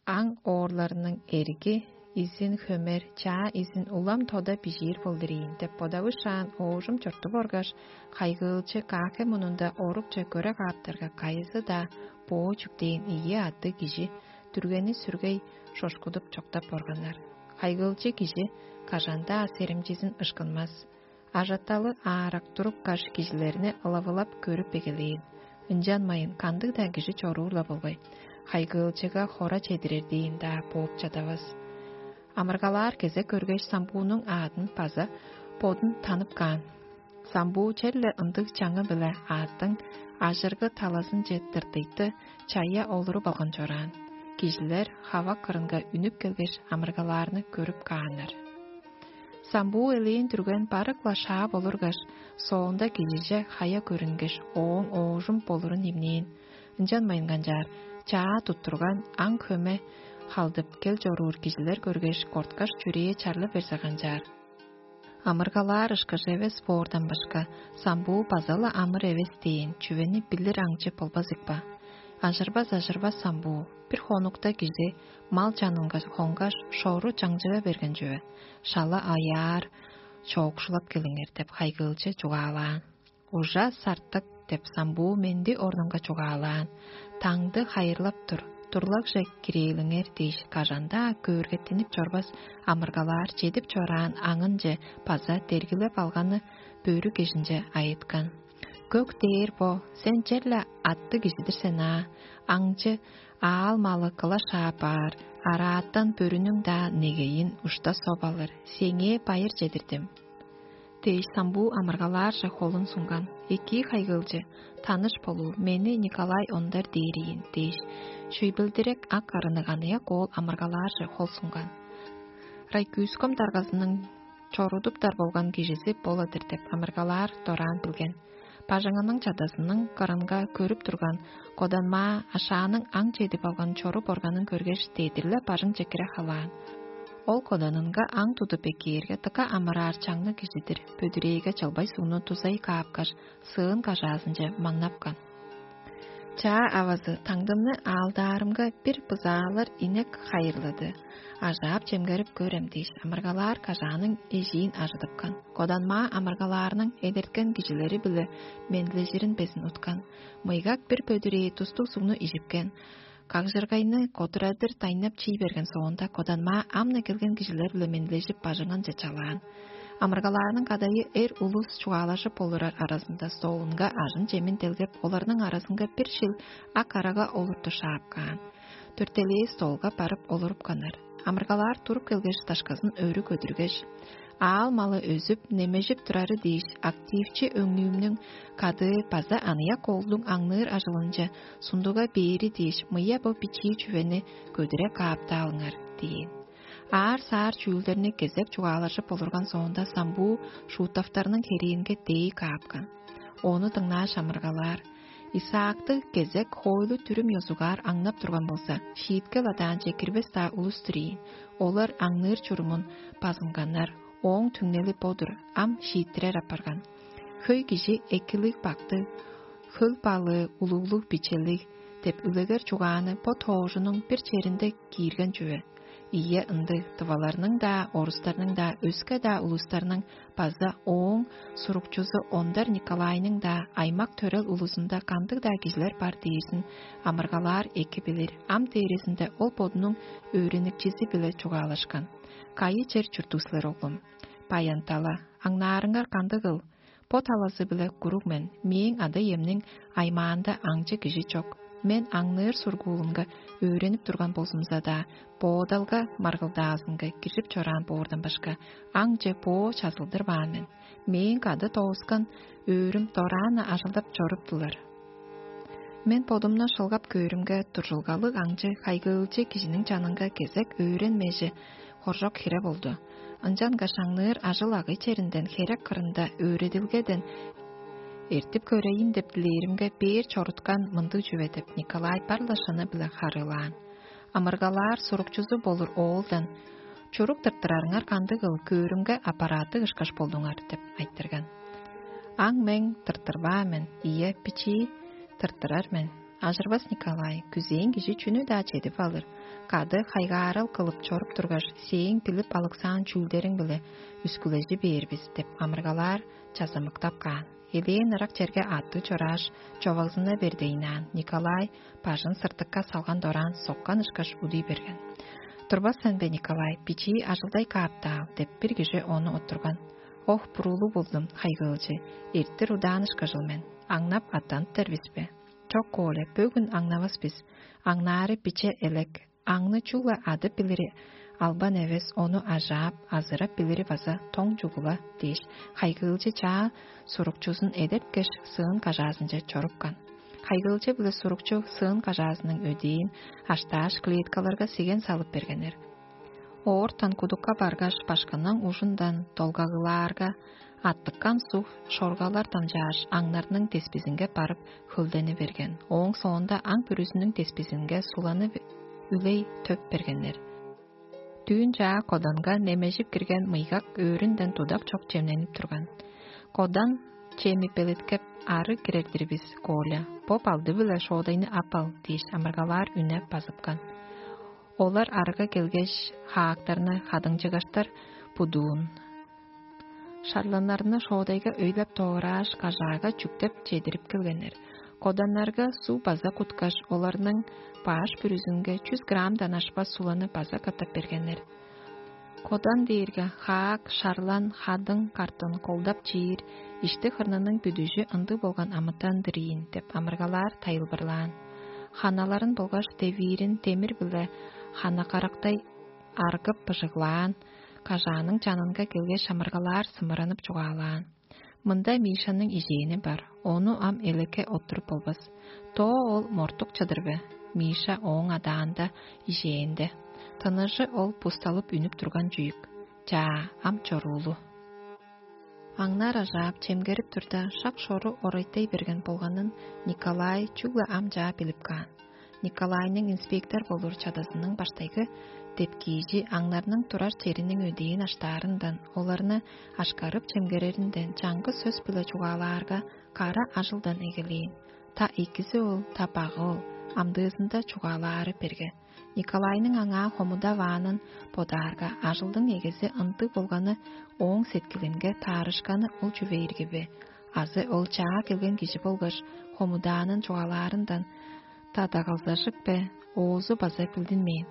Аң оорларының эрги изин хөмер, чаа изин улам тода бижиир болдур ийин деп бодавышаан, оожум чортуп оргаш, хайгыылчы каахе мунунда орукче көре кааптарга, кайызы-даа боо чүктээн ийи аъттыг кижи дүргени сүргей шошкудуп чоктап органнар. Хайгыылчы кижи кажан-даа серимчизин ышкынмас. Ажаталы аарак туруп каш, кижилерни ылавылап көрүп эгелээн. Ынчанмайын кандыг-даа кижи чоруур-ла болгай. Хайгыылчыга хора чедирер дээн-даа бооп чадавас. Амыргалаар кезек көргеш, самбуунуң аадын база бодун танып каан. Самбуу черле ындыг чаңы-биле аъттың ажыргы талазынче тыртыйты чая олуруп алган чораан. Кижилер хава кырынга үнүп келгеш, амыргалаарны көрүп кааннар. Самбуу элээн дүрген барык-ла шаап олургаш, соонда кижиже хая көрүнгеш, ооң оожум болурун имнээн. Ынчан майынганчаар чаа туттурган аң хөме халдып кел чоруур кижилер көргеш, корткаш, чүрээ чарлы берзе канчаар. Амыргалаар ышкаш эвес боордан башка, самбуу база-ла амыр эвес дээн чүвени билир аңчы болбас икпа. Ажырбас-ажырбас самбуу, бир хонукта кижи мал чанынга хонгаш, шору чаңчыга берген чүве, шала аяар, чоокшулап келиңер деп хайгыылчы чугаалаан. Ужа сартык деп самбуу менди орнунга чугаалаан, таңды хайырлап тур, турлагже кирээлиңер дээш, кажан-даа көөргеттинип чорбас амыргалаар чедип чораан аңынче база дергилеп алганы бөрү кежинче айыткан. Көк дээр бо, сен черле атты кижидир сен аа, аңчы аал малы кыла шаапаар, арааттан бөрүнүң-даа негейин ушта соп алыр, сеңээ байыр чедирдим. Дээш самбуу амыргалаарже холун сунган, экии хайгыылчы, таныш болуу, мени Николай ондар дээр ийин дээш, шүйбелдирек ак арыныг аныяк оол амыргалаарже хол сунган. Райкүүском даргазының чорудуптар болган кижизи бола-дыр деп амыргалаар дораан билген. Бажыңының чадазының кырынга көрүп турган коданмаа ашааның аң чедип алган чорук органын көргеш, дедир-ле бажың чекире халаан. Ол коданынга аң тудуп эккээрге, дыка амыраар чаңныг кижидир бөдүрээге чылбай сугну дузай каапкаш, сыын кажаазынче маңнапкан. Чаа авазы таңдымны аалдаарымга бир бызаалар инек хайырлады. Ажаап чемгерип көрем дээш, амыргалаар кажааның эжиин ажыдыпкан. Коданмаа амыргалаарның эдерткен кижилери-биле менлежирин безин уткан. Мыйгак бир бөдүрээ тустуг сугну ижипкен. Кагжыргайны котурадыр дайнап чий берген соонда, коданмаа амны келген кижилер-биле менлежип, бажыңынче чалаан. Амыргалаарның кадайы эр улус чугаалажып олурар аразында столунга ажын-чемин делгеп, оларның аразынга бир шил ак арага олурту шаап каан. Төртелээ столга барып олурупканнар. Амыргалаар туруп келгеш, дашказын өрү көдүргеш, аал малы өзүп, немежип турары дээш, активчи өңнүүмнүң кадыы база аныяк оолдуң аңныыр ажылынче сундуга бээри дээш, мыя бо бичии чүвени көдүре кааптаалыңар дээн. Аар-саар чүүлдерни кезек чугаалажып олурган соонда, самбуу шуутафтарның херээнге дээй каапкан. Ону дыңнааш амыргалаар: Исаакты кезек хоойлу-дүрүм ёзугаар аңнап турган болза, шииткел адаанче кирбес-даа улус-тур ийин. Олар аңныыр чурумун базынганнар, ооң түңнели бо-дур, ам шииттирер апарган. Хөй кижи экилиг-бактыг, хөл балыы улуглуг-бичелиг деп үлегер чугааны бо тоожунуң бир черинде киирген чүве. Ийе, ындыг, тываларның-даа, орустарның-даа, өске-даа улустарның база ооң сурукчузу Ондар Николайның-даа аймак-төрел улузунда кандыг-даа кижилер бар дээрзин амыргалаар эки билир, ам дээрезинде ол бодунуң өөреникчизи-биле чугаалашкан. Кайы чер чурттуг силер, оглум? Баян-тала. Аңнаарыңар кандыгыл? Бо талазы-биле куруг мен, мээң ада-иемниң аймаанда аңчы кижи чок. Мен аңныыр сургуулунга өөренип турган болзумза-даа, боодалга маргылдаазынга киржип чораан боордан башка, аңче боо чазылдырбаан мен. Мээң кады доозган өөрүм дораан-на ажылдап чоруптулар. Мен бодумну шылгап көөрүмге, туржулгалыг аңчы, хайгыылчы кижиниң чанынга кезек өөренмежи хоржок хире болду. Ынчангаш аңныыр ажыл-агый черинден херек кырында өөредилгеден эртип көрейн деп дилээримге, бээр чоруткан мындыг чүве деп, Николай бар-ла шыны-биле харыылаан. Амыргалаар сурукчузу болур оолдан: «Чурук тырттырарыңар кандыгыл, көөрүмге аппараттыг ышкаш болдуңар» — деп айтырган. Аң мең тырттырбаан мен, ийе, бичии тырттырар мен. Ажырбас Николай, күзээн кижи чүнү-даа чедип алыр. Кады хайгаарал кылып чоруп тургаш, сээң билип алыксаан чүүлдериң-биле үскүлежи бээр бис деп амыргалаар чазамыктап каан. Элээн ырак черге аттыг чорааш, човагзына бердейнаан, Николай бажын сыртыкка салган дораан соккан ышкаш удуй берген. «Турбас сен бе, Николай, бичии ажылдай кааптаал» — деп, бир кижи ону оттурган. «Ох, буруулуг болдум, хайгыылчы, эртир удаан ышкажыл мен, аңнап аттаныптар бис бе?» «Чок, Коля, бөгүн аңнавас бис. Аңнаары биче элек. Аңны чүгле адып билири Албан эвес ону ажаап, азырап билири база тоң чугула дээш, хайгыылчы чаа сурукчузун эдерткеш, сыын кажаазынче чорупкан. Хайгыылчы биле сурукчу сыын кажаазының өдээн аштааш, клеткаларга сиген салып бергеннер. Оортан кудукка баргаш, башкының ужундан долгагылаарга, аттыккан суг шоргалар дамчааш, аңнарның деспизинге барып хөлдени берген. Ооң соонда аң бүрүзүнүң деспизинге суланы үлей төп бергеннер. Дүүн чаа коданга немежип кирген мыйгак өөрүнден тудак чок чемненип турган. Кодан чеми белеткеп, ары кирер-дир бис, Коля. Бо балды-биле шоодайны ап ал дээш, амыргалаар үнеп базыпкан. Олар арга келгеш, хаактарны хадыңчыгаштар будуун. Шарланнарны шоодайга өйлеп доорааш, кажаага чүктеп чедирип келгеннер. Коданнарга суу база куткаш, оларның баш бүрүзүнге чүс граммдан ашпас суланы база катап бергеннер. Кодан дээрге хаак, шарлан, хадың, картын колдап чиир, ишти хырнының бүдүжү ындыг болган амытан-дыр ийин деп амыргалаар тайылбырлаан. Ханаларын болгаш девиирин демир-биле хана карактай аргып быжыглаан, кажааның чанынга келгеш, амыргалаар сымыранып чугаалаан. Мында Мишаның ижээни бар, ону ам элекке оттуруп болбас. Тоо ол мортук чыдыр бе? Миша ооң адаанда, ижээнде. Тыныжы ол пусталып үнүп турган чүйүк. Чаа, ам чоруулу. Аңнаар ажаап, чемгерип турда, шак шору орайтай берген болганын Николай чүгле ам чаа билип каан. Николайның инспектор болур чадазының баштайгы депкиижи аңнарның турар чериниң өдээн аштаарындан, оларны ашкарып чемгереринден чаңгыс сөс-биле чугаалаарга, кара ажылдан эгелээн. Та экизи ол, та багы ол, амдыызында чугаалаары берге. Николайның аңаа хомудаваанын бодаарга, ажылдың эгези ындыг болганы ооң сеткилинге таарышканы ол чүве ирги бе? Азы ол чаа келген кижи болгаш хомудаанын чугаалаарындан тадагалзажык бе, оозу база билдинмээн.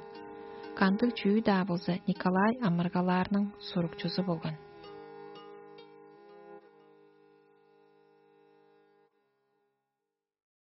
Кандыг чүү-даа болза, Николай амыргалаарның сурукчузу болган.